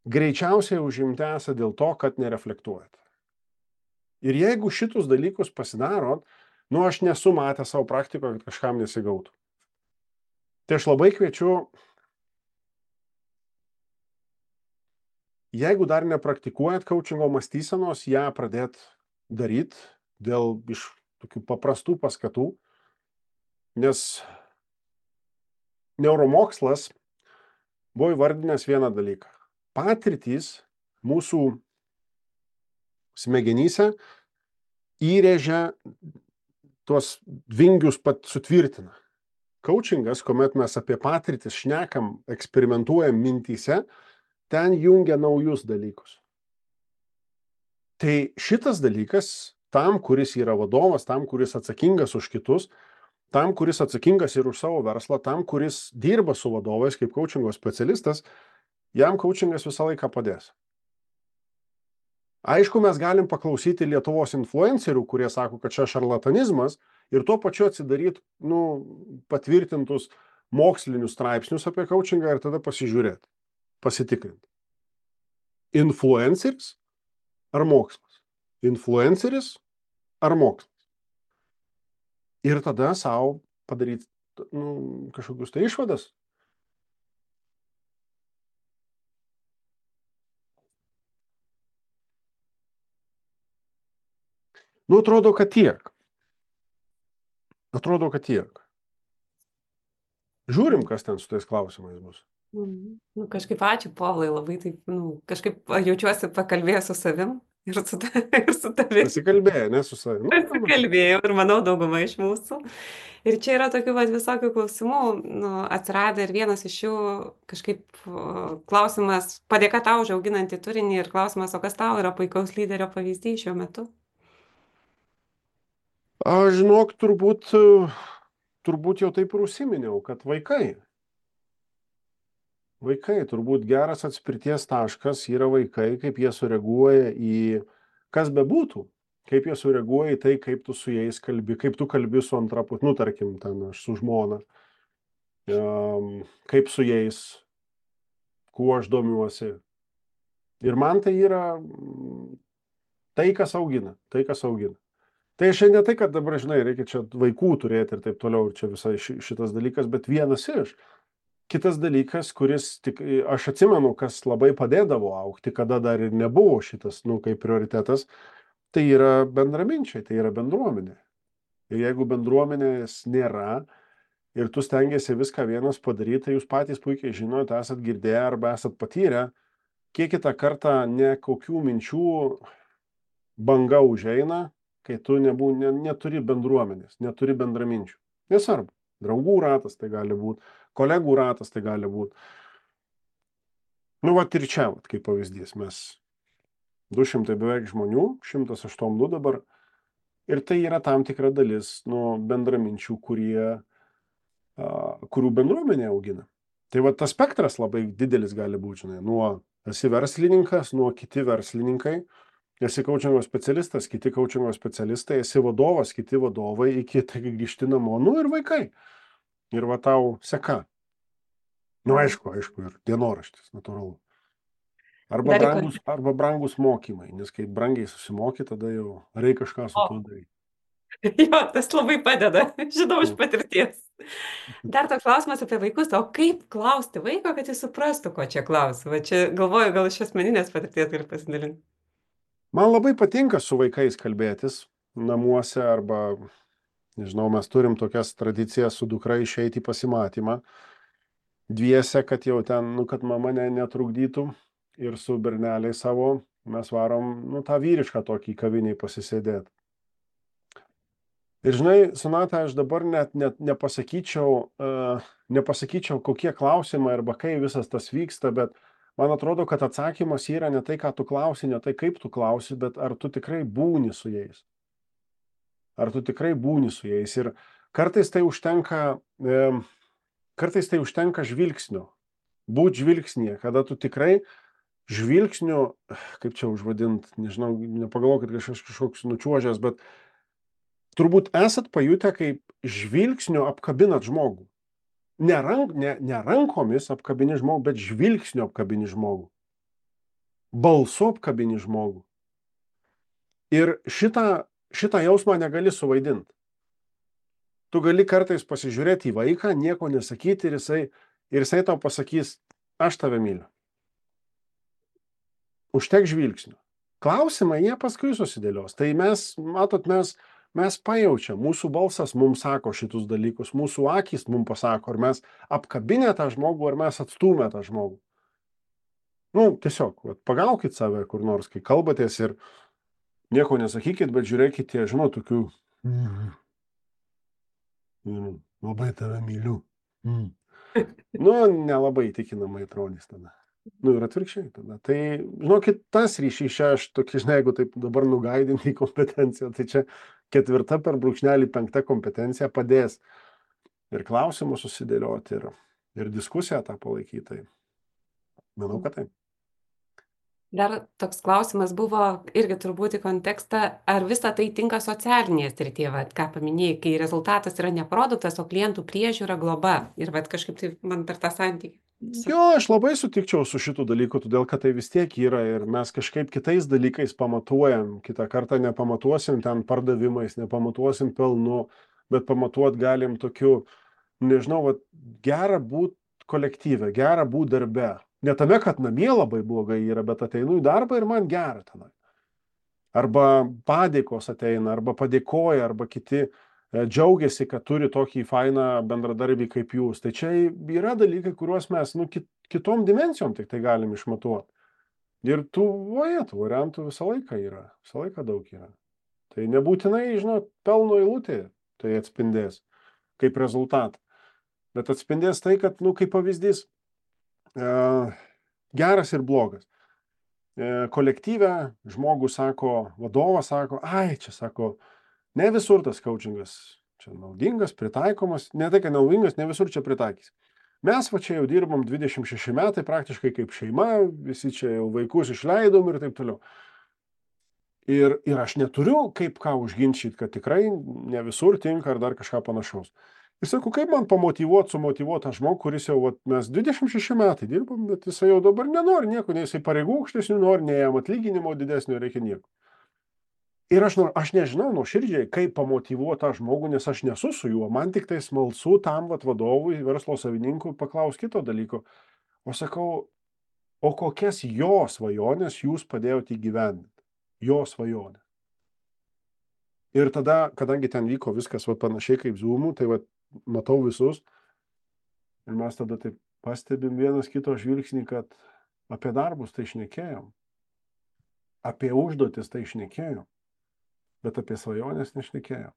greičiausiai užimti esate dėl to, kad nereflektuojate. Ir jeigu šitus dalykus pasidarot, nu aš nesu matęs savo praktikoje, kad kažkam nesigautų. Tai aš labai kviečiu, jeigu dar nepraktikuojat coachingo mąstysenos, ją pradėt daryti dėl iš tokių paprastų paskatų, nes neuromokslas buvo įvardinęs vieną dalyką. Patirtys mūsų smegenyse įrėžia tuos vingius pat sutvirtina. Coachingas, kuomet mes apie patirtis šnekam, eksperimentuojam mintyse, ten jungia naujus dalykus. Tai šitas dalykas tam, kuris yra vadovas, tam, kuris atsakingas už kitus, tam, kuris atsakingas ir už savo verslą, tam, kuris dirba su vadovais kaip coachingo specialistas, jam coachingas visą laiką padės. Aišku, mes galim paklausyti Lietuvos influencerių, kurie sako, kad čia šarlatanizmas ir tuo pačiu atsidaryti nu, patvirtintus mokslinius straipsnius apie coachingą ir tada pasižiūrėti, pasitikrinti. Influenceris ar mokslas? Influenceris ar mokslas. Ir tada savo padaryti nu, kažkokius tai išvadas. Nu, atrodo, kad tiek. Atrodo, kad tiek. Žiūrim, kas ten su tais klausimais bus. Nu, kažkaip ačiū, Povilai, labai taip, nu, kažkaip jaučiuosi pakalbėjęs su savim. Ir su, ta, ir su tavimi. Pasikalbėjo, ne su savimi. Pasikalbėjau ir manau dauguma iš mūsų. Ir čia yra tokių vat, visokių klausimų, nu, atsirado ir vienas iš jų kažkaip klausimas, padėka tau už auginantį turinį ir klausimas, o kas tau yra puikaus lyderio pavyzdys šiuo metu? Aš žinok, turbūt, turbūt jau taip ir užsiminiau, kad vaikai. Vaikai, turbūt geras atspirties taškas yra vaikai, kaip jie sureaguoja į kas bebūtų, kaip jie sureaguoja į tai, kaip tu su jais kalbi, kaip tu kalbi su antra pusė, nu tarkim, ten aš su žmona, um, kaip su jais, kuo aš domiuosi. Ir man tai yra tai, kas augina, tai, kas augina. Tai šiandien tai, kad dabar, žinai, reikia čia vaikų turėti ir taip toliau, ir čia visai šitas dalykas, bet vienas iš. Kitas dalykas, kuris tik, aš atsimenu, kas labai padėdavo augti, kada dar ir nebuvo šitas, nu, kaip prioritetas, tai yra bendraminčiai, tai yra bendruomenė. Ir jeigu bendruomenės nėra ir tu stengiasi viską vienas padaryti, tai jūs patys puikiai žinote, esat girdėję arba esat patyrę, kiek kitą kartą ne kokių minčių banga užeina, kai tu nebū, ne, neturi bendruomenės, neturi bendraminčių. Nesvarbu. Draugų ratas tai gali būti, kolegų ratas tai gali būti. Nu, va ir čia, vat, kaip pavyzdys, mes du šimtai beveik žmonių, šimtas aštuoniasdešimt du dabar, ir tai yra tam tikra dalis, nu, bendraminčių, kurie, a, kurių bendruomenė augina. Tai va tas spektras labai didelis gali būti, žinai, nuo esi verslininkas, nuo kiti verslininkai, esi kaučingo specialistas, kiti kaučingo specialistai, esi vadovas, kiti vadovai, iki tai grįžti namo, nu ir vaikai. Ir va tau seka. Nu, aišku, aišku, ir dienoraštis, natūralu. Arba Dar į brangus, arba brangus mokymai, nes kai brangiai susimoki, tada jau reikia kažką su O. tuo daryti. Jo, tas labai padeda, žinau iš Mm. patirties. Dar toks klausimas apie vaikus, o kaip klausti vaiko, kad jis suprastų, ko čia klausi? Va čia galvoju, gal iš asmeninės patirties gali pasidalinti. Man labai patinka su vaikais kalbėtis namuose arba, nežinau, mes turim tokias tradicijas su dukra išeiti į pasimatymą. Dviese, kad jau ten, nu, kad mama ne, netrukdytų ir su berneliai savo mes varom, nu, tą vyrišką tokį kaviniai pasisėdėti. Ir žinai, Sonata, aš dabar net, net nepasakyčiau, uh, nepasakyčiau, kokie klausimai arba kai visas tas vyksta, bet man atrodo, kad atsakymas yra ne tai, ką tu klausi, ne tai, kaip tu klausi, bet ar tu tikrai būni su jais. Ar tu tikrai būni su jais. Ir kartais tai užtenka, e, kartais tai užtenka žvilgsnio. Būt žvilgsnėje, kada tu tikrai žvilgsniu, kaip čia užvadint, nežinau, nepagalvoju, kad kažkas kažkoks nučiuožęs, bet turbūt esat pajutę, kaip žvilgsniu apkabinat žmogų. Ne, rank, ne, ne rankomis apkabini žmogų, bet žvilgsniu apkabini žmogų. Balsu apkabini žmogų. Ir šitą, šitą jausmą negali suvaidinti. Tu gali kartais pasižiūrėti į vaiką, nieko nesakyti ir jisai, ir jisai tau pasakys, aš tave myliu. Užtek žvilgsnių. Klausimai, jie paskui susidėlios. Tai mes, matot, mes, mes pajaučiam, mūsų balsas mums sako šitus dalykus, mūsų akys mums pasako, ar mes apkabinę tą žmogų, ar mes atstūmę tą žmogų. Nu, tiesiog, vat, pagaukit save kur nors, kai kalbatės ir nieko nesakykit, bet žiūrėkite, žinau, tokių, mm, mm, labai tave myliu. Mm. Nu, nelabai įtikinamai atrodys tada. Nu, ir atvirkščiai tada. Tai, žinokit, tas ryšys čia, aš tokį, žinai, jeigu taip dabar nugaidinti į kompetenciją, tai čia ketvirta per brūkšnelį penkta kompetencija padės ir klausimus susidėlioti, ir, ir diskusiją tą palaikyti. Tai manau, kad taip. Dar toks klausimas buvo irgi turbūt į kontekstą, ar visa tai tinka socialinėje srityje, vat, ką paminėjai, kai rezultatas yra ne produktas, o klientų priežiūra, globa. Ir vat, kažkaip tai man per tą santykį. Jo, aš labai sutikčiau su šitų dalykų, todėl kad tai vis tiek yra ir mes kažkaip kitais dalykais pamatuojam. Kitą kartą nepamatuosim ten pardavimais, nepamatuosim pelnu, bet pamatuot galim tokiu, nežinau, vat, gera būt kolektyve, gera būt darbe. Ne tame, kad namie labai blogai yra, bet ateinu į darbą ir man gera tenai. Arba padėkos ateina, arba padėkoja, arba kiti džiaugiasi, kad turi tokį fainą bendradarbį kaip jūs. Tai čia yra dalykai, kuriuos mes nu, kit, kitom dimensijom tik tai galim išmatuoti. Ir tų, voje, tų variantų visą laiką yra, visą laiką daug yra. Tai nebūtinai, žinot, pelno eilutė tai atspindės kaip rezultatą. Bet atspindės tai, kad, nu, kaip pavyzdys, e, geras ir blogas. E, kolektyve žmogus sako, vadovas sako, ai, čia sako, ne visur tas coachingas čia naudingas, pritaikomas, ne tai, kad naudingas, ne visur čia pritaikys. Mes va čia jau dirbam dvidešimt šeši metai praktiškai kaip šeima, visi čia jau vaikus išleidom ir taip toliau. Ir, ir aš neturiu kaip ką užginčyti, kad tikrai ne visur tinka ar dar kažką panašaus. Ir sakau, kaip man pamotyvuoti, sumotyvuoti tą žmogų, kuris jau, vat, mes dvidešimt šeši metai dirbam, bet jisai jau dabar nenori nieko, nei jisai pareigų aukštesnių nori, nei jam atlyginimo didesnio reikia nieko. Ir aš, aš nežinau nuoširdžiai, kaip pamotyvuoti tą žmogų, nes aš nesu su juo, man tik tai smalsu tam vat, vadovui, verslo savininkui paklaus kito dalyko. O sakau, o kokias jo svajonės jūs padėjote įgyvendinti? Jo svajonės. Ir tada, kadangi ten vyko viskas vat, panašiai kaip Zoom'u, tai vat, matau visus. Ir mes tada taip pastebim vienas kito žvilgsnį, kad apie darbus tai šnekėjom. Apie užduotis tai šnekėjom. Bet apie svajonės nešnekėjom.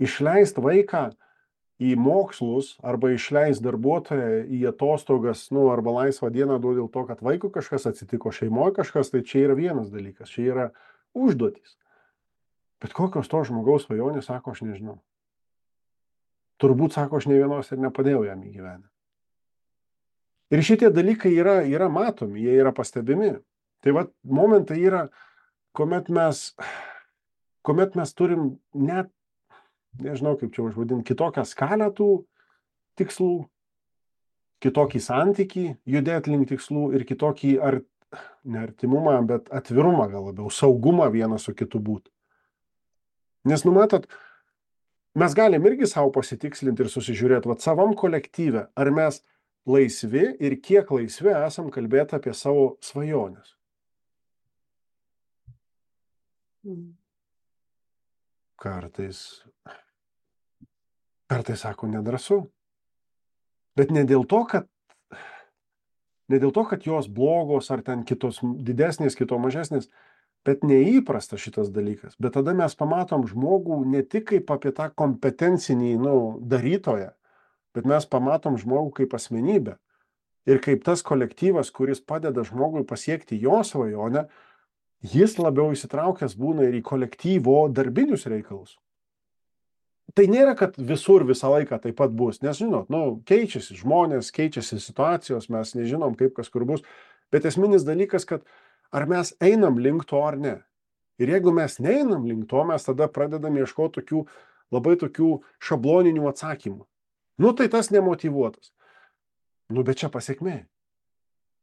išleist vaiką į mokslus arba išleist darbuotoją į atostogas, nu, arba laisvą dieną duoti dėl to, kad vaikui kažkas atsitiko, šeimoje kažkas, tai čia yra vienas dalykas, čia yra užduotis. Bet kokios to žmogaus svajonės, sako, aš nežinau. Turbūt, sako, aš ne vienos ir nepadėjau jam įgyvenę. Ir šitie dalykai yra, yra matomi, jie yra pastebimi. Tai va, momentai yra, kuomet mes, kuomet mes turim net, nežinau kaip čia užvadinti, kitokią skalę tų tikslų, kitokį santykį judėti link tikslų ir kitokį, ar, ne artimumą, bet atvirumą gal labiau, saugumą vienas su kitu būti. Nes numatot, mes galim irgi savo pasitikslinti ir susižiūrėti, va, savam kolektyve, ar mes laisvi ir kiek laisvi esam kalbėti apie savo svajonės. Mm. Kartais, kartais sako, nedrąsu. Bet ne dėl to, kad, ne dėl to, kad jos blogos ar ten kitos didesnės, kito mažesnės, bet neįprasta šitas dalykas. Bet tada mes pamatom žmogų ne tik kaip apie tą kompetencinį, nu, darytoją, bet mes pamatom žmogų kaip asmenybę. Ir kaip tas kolektyvas, kuris padeda žmogui pasiekti jo svajonę, jis labiau įsitraukęs būna ir į kolektyvo darbinius reikalus. Tai nėra, kad visur visą laiką taip pat bus, nes, žinot, nu, keičiasi žmonės, keičiasi situacijos, mes nežinom, kaip kas kur bus, bet esminis dalykas, kad ar mes einam link to ar ne. Ir jeigu mes neinam link to, mes tada pradedam ieškoti tokių, labai tokių šabloninių atsakymų. Nu, tai tas nemotyvuotas. Nu, bet čia pasiekmė.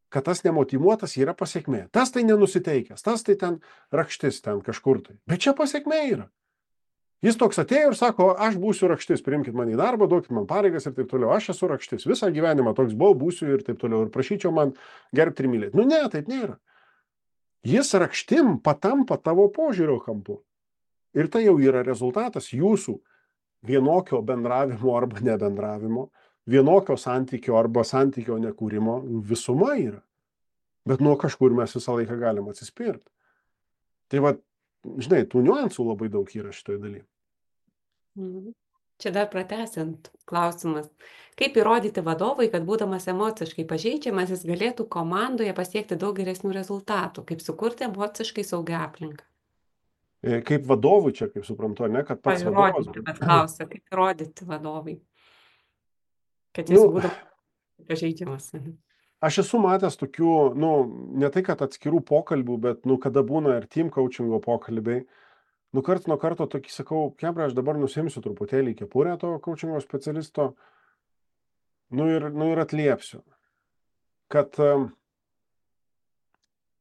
Kad tas nemotyvuotas yra pasiekmė. Tas tai nenusiteikęs, tas tai ten rakštis ten kažkur tai. Bet čia pasiekmė yra. Jis toks atėjo ir sako, aš būsiu rakštis, priimkit mane į darbą, duokit man pareigas ir taip toliau. Aš esu rakštis, visą gyvenimą toks buvau, būsiu ir taip toliau. Ir prašyčiau man gerbti ir mylėti. Nu ne, taip nėra. Jis rakštim patampa tavo požiūrio kampu. Ir tai jau yra rezultatas jūsų vienokio bendravimo arba nebendravimo, vienokio santykio arba santykio nekūrimo visuma yra. Bet nuo kažkur mes visą laiką galim atsispirti. Tai va, žinai, tų niuansų labai daug yra šitoje dalyje. Čia dar pratęsiant klausimas. Kaip įrodyti vadovui, kad būdamas emociškai pažeidžiamas, jis galėtų komandoje pasiekti daug geresnių rezultatų? Kaip sukurti emociškai saugią aplinką? Kaip vadovui čia, kaip suprantu, ne, kad pats vadovas. Įrodyti, bet klausia, kaip įrodyti vadovui, kad jis Nu, būdamas pažeidžiamas. Aš esu matęs tokių, nu, ne tai, kad atskirų pokalbių, bet, nu, kada būna ir team coachingo pokalbiai, nu, karts nuo karto tokį sakau, kebra, aš dabar nusimsiu truputėlį kepurę to coachingo specialisto, nu ir, nu, ir atliepsiu, kad,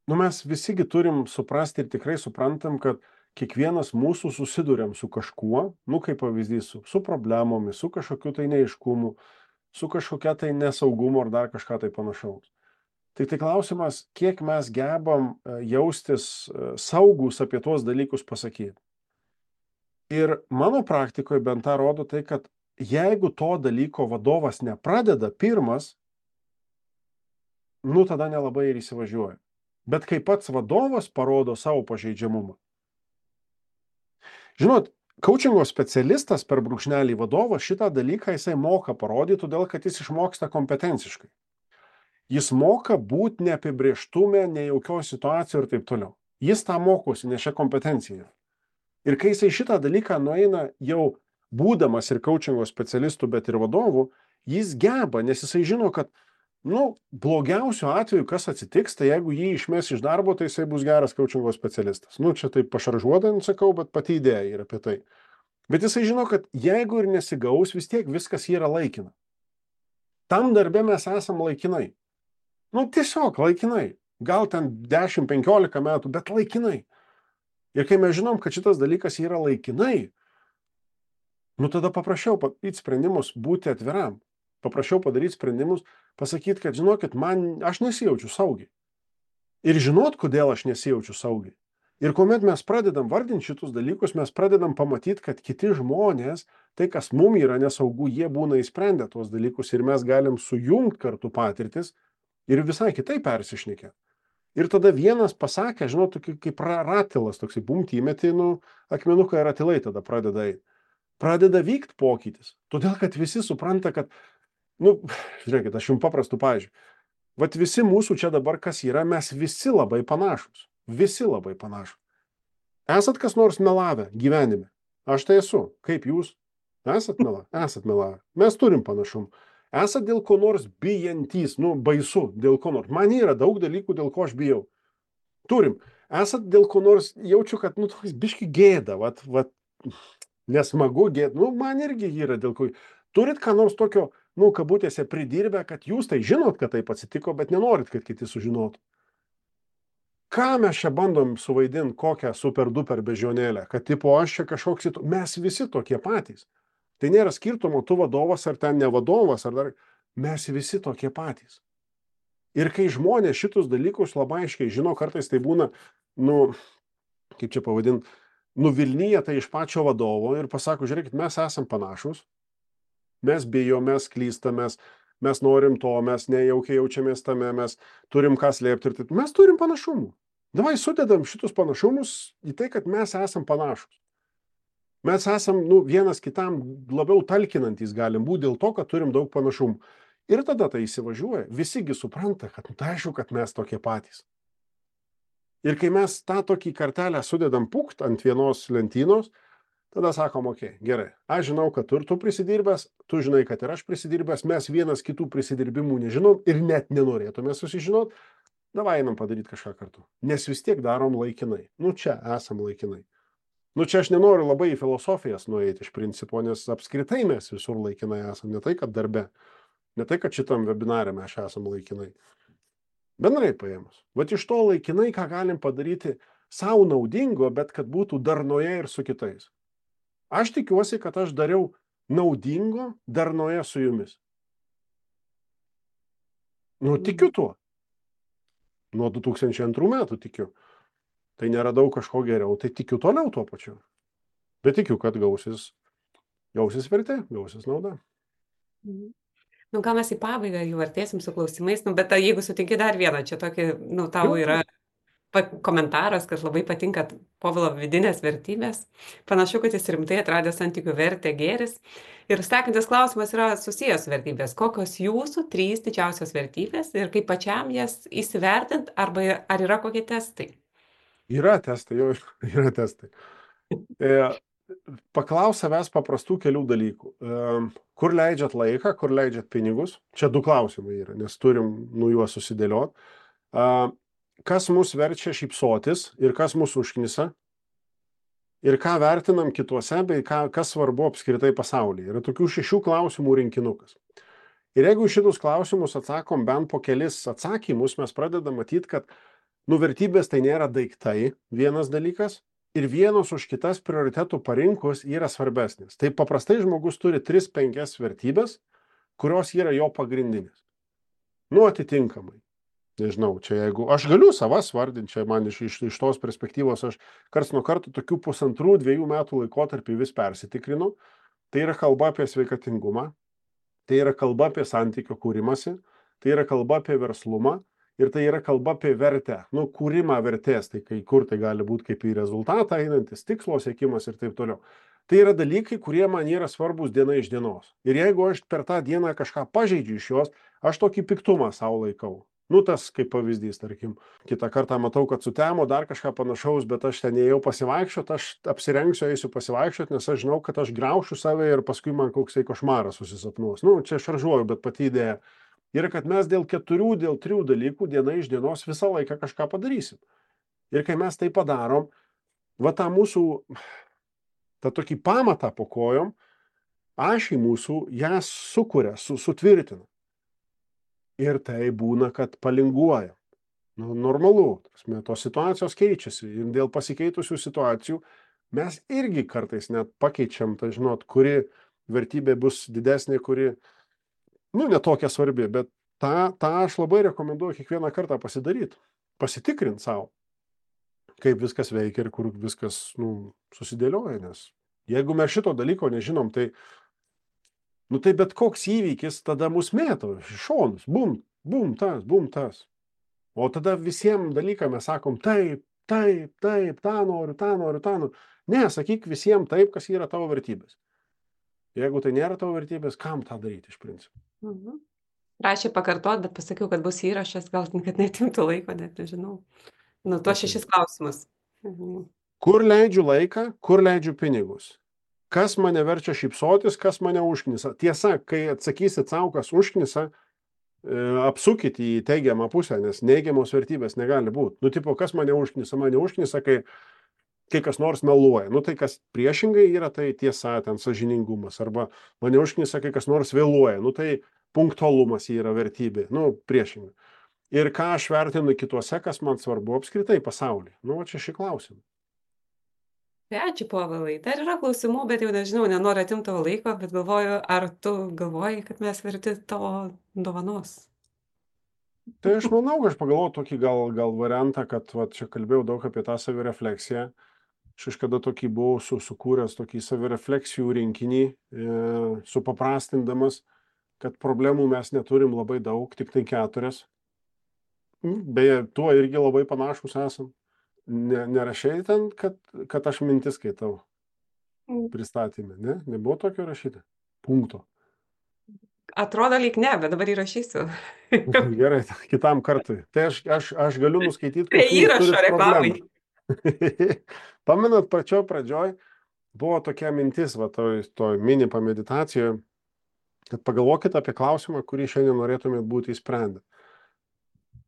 nu, mes visigi turim suprasti ir tikrai suprantam, kad kiekvienas mūsų susiduriam su kažkuo, nu, kaip pavyzdys, su, su problemomis, su kažkokiu tai neaiškumu, su kažkokia tai nesaugumu ar dar kažką tai panašaus. Tik tai klausimas, kiek mes gebam jaustis saugus apie tuos dalykus pasakyti. Ir mano praktikoje bent tą rodo tai, kad jeigu to dalyko vadovas nepradeda pirmas, nu tada nelabai ir įsivažiuoja. Bet kai pats vadovas parodo savo pažeidžiamumą. Žinot, coachingo specialistas per brūkšnelį vadovas šitą dalyką jisai moka parodyti, todėl kad jis išmoksta kompetenciškai. Jis moka būti neapibrėžtume, nejaukioje situacijoje ir taip toliau. Jis tą mokosi, nes šią kompetenciją. Ir kai jisai šitą dalyką nueina jau būdamas ir coachingo specialistų, bet ir vadovų, jis geba, nes jisai žino, kad nu, blogiausiu atveju, kas atsitiks, tai jeigu jį išmes iš darbo, tai jisai bus geras coachingo specialistas. Nu, čia taip pašaržuodant sakau, bet pati idėja yra apie tai. Bet jisai žino, kad jeigu ir nesigaus, vis tiek viskas yra laikina. Tam darbe mes esam laikinai. Nu, tiesiog laikinai. Gal ten dešimt penkiolika metų, bet laikinai. Ir kai mes žinom, kad šitas dalykas yra laikinai, nu, tada paprašiau padaryti sprendimus, būti atviram. Paprašiau padaryti sprendimus, pasakyti, kad žinokit, man, aš nesijaučiu saugiai. Ir žinot, kodėl aš nesijaučiu saugiai. Ir kuomet mes pradedam vardinti šitus dalykus, mes pradedam pamatyti, kad kiti žmonės, tai kas mum yra nesaugu, jie būna įsprendę tuos dalykus ir mes galim sujungti kartu patirtis ir visai kitai persišnekė. Ir tada vienas pasakė, žinot, kaip ratilas, toksai bumti įmetį, nu, akmenuką ir ratilai tada pradeda eiti. pradeda vykti pokytis. Todėl, kad visi supranta, kad, nu, žiūrėkit, aš jums paprastų pavyzdžių. Vat visi mūsų čia dabar kas yra, mes visi labai panašus. Visi labai panašus. Esat kas nors melavę gyvenime? Aš tai esu. Kaip jūs? Esat melavę? Esat melavę. Mes turim panašumų. Esat dėl ko nors bijantys, nu, baisu, dėl ko nors. Man yra daug dalykų, dėl ko aš bijau. Turim. Esat dėl ko nors, jaučiu, kad, nu, toks biški gėda, vat, vat, nesmagu gėda. Nu, man irgi yra dėl ko. Turit ką nors tokio, nu, kabutėse pridirbę, kad jūs tai žinot, kad taip atsitiko, bet nenorit, kad kiti sužinotų. Ką mes čia bandom suvaidinti, kokią super duper bežionėlę, kad tipo aš čia kažkoks, mes visi tokie patys. Tai nėra skirtumo, tu vadovas ar ten ne vadovas, ar dar, mes visi tokie patys. Ir kai žmonės šitus dalykus labai aiškiai žino, kartais tai būna, nu, kaip čia pavadinti, nuvilnyja tai iš pačio vadovo ir pasako, žiūrėkit, mes esam panašus, mes bijom, mes klystamės, mes norim to, mes nejaukiai jaučiamės tame, mes turim ką slėpti ir taip. Mes turim panašumų. Davai sudedam šitus panašumus į tai, kad mes esam panašus. Mes esam, nu, vienas kitam labiau talkinantys galim būti dėl to, kad turim daug panašumų. Ir tada tai įsivažiuoja. Visigi supranta, kad, nu, tai aišku, kad mes tokie patys. Ir kai mes tą tokį kartelę sudedam pukt ant vienos lentynos, tada sakom, okei, okay, gerai, aš žinau, kad tu ir tu prisidirbęs, tu žinai, kad ir aš prisidirbęs, mes vienas kitų prisidirbimų nežinom ir net nenorėtume susižinot, davai einam padaryti kažką kartu. Nes vis tiek darom laikinai. Nu, čia esam laikinai. Nu, čia aš nenoriu labai į filosofijas nueiti iš principo, nes apskritai mes visur laikinai esam, ne tai, kad darbe, ne tai, kad šitam webinare mes esam laikinai. Bendrai paėmus. Vat iš to laikinai, ką galim padaryti savo naudingo, bet kad būtų darnoje ir su kitais. Aš tikiuosi, kad aš dariau naudingo darnoje su jumis. Nu, tikiu tuo. Nuo du tūkstančiai antrų metų tikiu. Tai neradau kažko geriau, tai tikiu toliau tuo pačiu. Bet tikiu, kad gausis, gausis vertė, gausis nauda. Nu, gal mes į pabaigą jau artėsim su klausimais, nu, bet jeigu sutinki dar vieną, čia tokį, nu, tau yra komentaras, kad labai patinka Povilo vidinės vertybės. Panašu, kad jis rimtai atradė santykių vertę gėris. Ir sekantis klausimas yra susijęs su vertybės. Kokios jūsų trys didžiausios vertybės ir kaip pačiam jas įsivertint, arba ar yra kokie testai? Yra testai, jau yra testai. E, paklaus savęs paprastų kelių dalykų. E, kur leidžiat laiką, kur leidžiat pinigus? Čia du klausimai yra, nes turim nu juos susidėliot. E, kas mus verčia šypsotis ir kas mus užknisa? Ir ką vertinam kituose, bei ką, kas svarbu apskritai pasaulyje. Yra tokių šešių klausimų rinkinukas. Ir jeigu šitus klausimus atsakom bent po kelis atsakymus, mes pradedam matyti, kad nu, vertybės tai nėra daiktai, vienas dalykas, ir vienos už kitas prioritetų parinkus yra svarbesnės. Tai paprastai žmogus turi tris penkias vertybės, kurios yra jo pagrindinės. Nu, atitinkamai. Nežinau, čia jeigu aš galiu savas vardinti, čia man iš, iš, iš tos perspektyvos aš karts nuo karto tokių pusantrų, dviejų metų laikotarpį vis persitikrinu. Tai yra kalba apie sveikatingumą, tai yra kalba apie santykio kūrimąsi, tai yra kalba apie verslumą, ir tai yra kalba apie vertę, nu, kūrimą vertės, tai kai kur tai gali būti kaip į rezultatą einantis, tikslo siekimas ir taip toliau. Tai yra dalykai, kurie man yra svarbus diena iš dienos. Ir jeigu aš per tą dieną kažką pažeidžiu iš jos, aš tokį piktumą savo laikau. Nu, tas kaip pavyzdys, tarkim, kitą kartą matau, kad sutemo dar kažką panašaus, bet aš ten ėjau pasivaikščiot, aš apsirengsiu, eisiu pasivaikščiot, nes aš žinau, kad aš graušiu save ir paskui man koksai košmaras susisapnuos. Nu, čia šaržuoju, bet pati idėja yra, kad mes dėl keturių, dėl trijų dalykų diena iš dienos visą laiką kažką padarysim. Ir kai mes tai padarom, va tą mūsų, tą tokį pamatą po kojom, ašį mūsų ją sukuria, su, sutvirtina. Ir tai būna, kad palinguoja. Nu, normalu, tasme, tos situacijos keičiasi. Ir dėl pasikeitusių situacijų mes irgi kartais net pakeičiam, tai žinot, kuri vertybė bus didesnė, kuri nu, netokia svarbi, bet tą, tą aš labai rekomenduoju kiekvieną kartą pasidaryti, pasitikrinti savo, kaip viskas veikia ir kur viskas nu, susidėlioja, nes jeigu mes šito dalyko nežinom, tai, nu, tai bet koks įvykis tada mus mėto iš šonus, bum, bum tas, bum tas. O tada visiems dalykam mes sakom taip, taip, taip, tą noriu, tą noriu, tą noriu. Ne, sakyk visiems taip, kas yra tavo vertybės. Jeigu tai nėra tavo vertybės, kam tą daryti iš principo? Mhm. Prašė pakartot, bet pasakiau, kad bus įrašas, gal kad netimtų laiko, net nežinau. Nu, tuos Okay. šešis klausimus. Mhm. Kur leidžiu laiką, kur leidžiu pinigus? Kas mane verčia šypsotis, kas mane užknisa? Tiesa, kai atsakysit savo, kas užknisa, apsukit į teigiamą pusę, nes neigiamos vertybės negali būti. Nu, tipo, kas mane užknisa? Mane užknisa, kai, kai kas nors meluoja. Nu, tai kas priešingai yra, tai tiesa, ten sąžiningumas. Arba mane užknisa, kai kas nors vėluoja. Nu, tai punktualumas yra vertybė. Nu, priešingai. Ir ką aš vertinu kituose, kas man svarbu apskritai pasaulyje. Nu, čia šį klausimą. Tai ačiū, Povilai. Dar yra klausimų, bet jau nežinau, nenoriu atimti tavo laiko, bet galvoju, ar tu galvoji, kad mes verti tavo dovanos? Tai aš manau, aš pagalvoju tokį gal, gal variantą, kad va, čia kalbėjau daug apie tą savirefleksiją. Aš kažkada tokį buvau su, sukūręs tokį savirefleksijų rinkinį, e, supaprastindamas, kad problemų mes neturim labai daug, tik tai keturias. Beje, tuo irgi labai panašus esam. Ne, nerašai ten, kad, kad aš mintis skaitau pristatymę, ne? Nebuvo tokio rašyti. Punkto. Atrodo lyg ne, bet dabar įrašysiu. Gerai, kitam kartui. Tai aš, aš, aš galiu nuskaityti, Prie įrašo reklamai. Pamenat, pačioj pradžioj buvo tokia mintis, va, toj, toj mini pameditacijoje, kad pagalvokit apie klausimą, kurį šiandien norėtumėt būti įsprendę.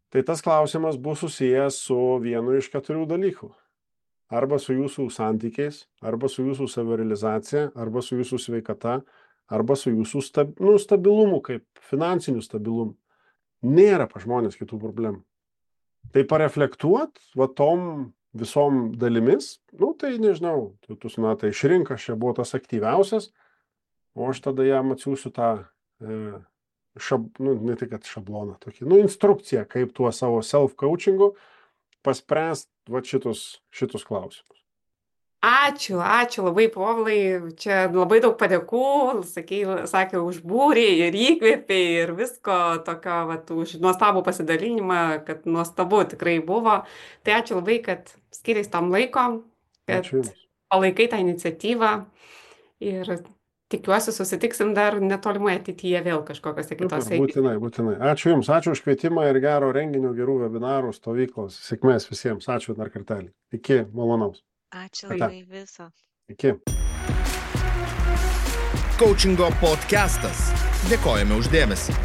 Tai tas klausimas bus susijęs su vienu iš keturių dalykų. Arba su jūsų santykiais, arba su jūsų savirealizacija, arba su jūsų sveikata, arba su jūsų stab, nu, stabilumu, kaip finansiniu stabilumu. Nėra pa žmonės kitų problemų. Tai pareflektuot, va tom visom dalimis, nu tai nežinau, tu, tu tai išrink, aš čia buvo tas aktyviausias, o aš tada jam atsiųsiu tą, e, šab, nu, ne tik kad šabloną, tokį, nu, instrukciją, kaip tuo savo self-coachingu paspręst va šitus, šitus klausimus. Ačiū, ačiū labai, Povilai. Čia labai daug padėkų, sakė, sakė, užbūrė ir įkvėpė ir visko tokio, vat, už nuostabų pasidalinimą, kad nuostabu tikrai buvo. Tai ačiū labai, kad skiriais tam laiko, kad palaikai tą iniciatyvą ir tikiuosi susitiksim dar netolimoje ateityje vėl kažkokiose kitose. Būtinai, būtinai. Ačiū Jums, ačiū už kvietimą ir gero renginio, gerų webinarų, stovyklos. Sėkmės visiems. Ačiū dar kartelį. Iki malonaus. Ačiū labai viso. Iki. Coachingo podcastas. Dėkojame už dėmesį.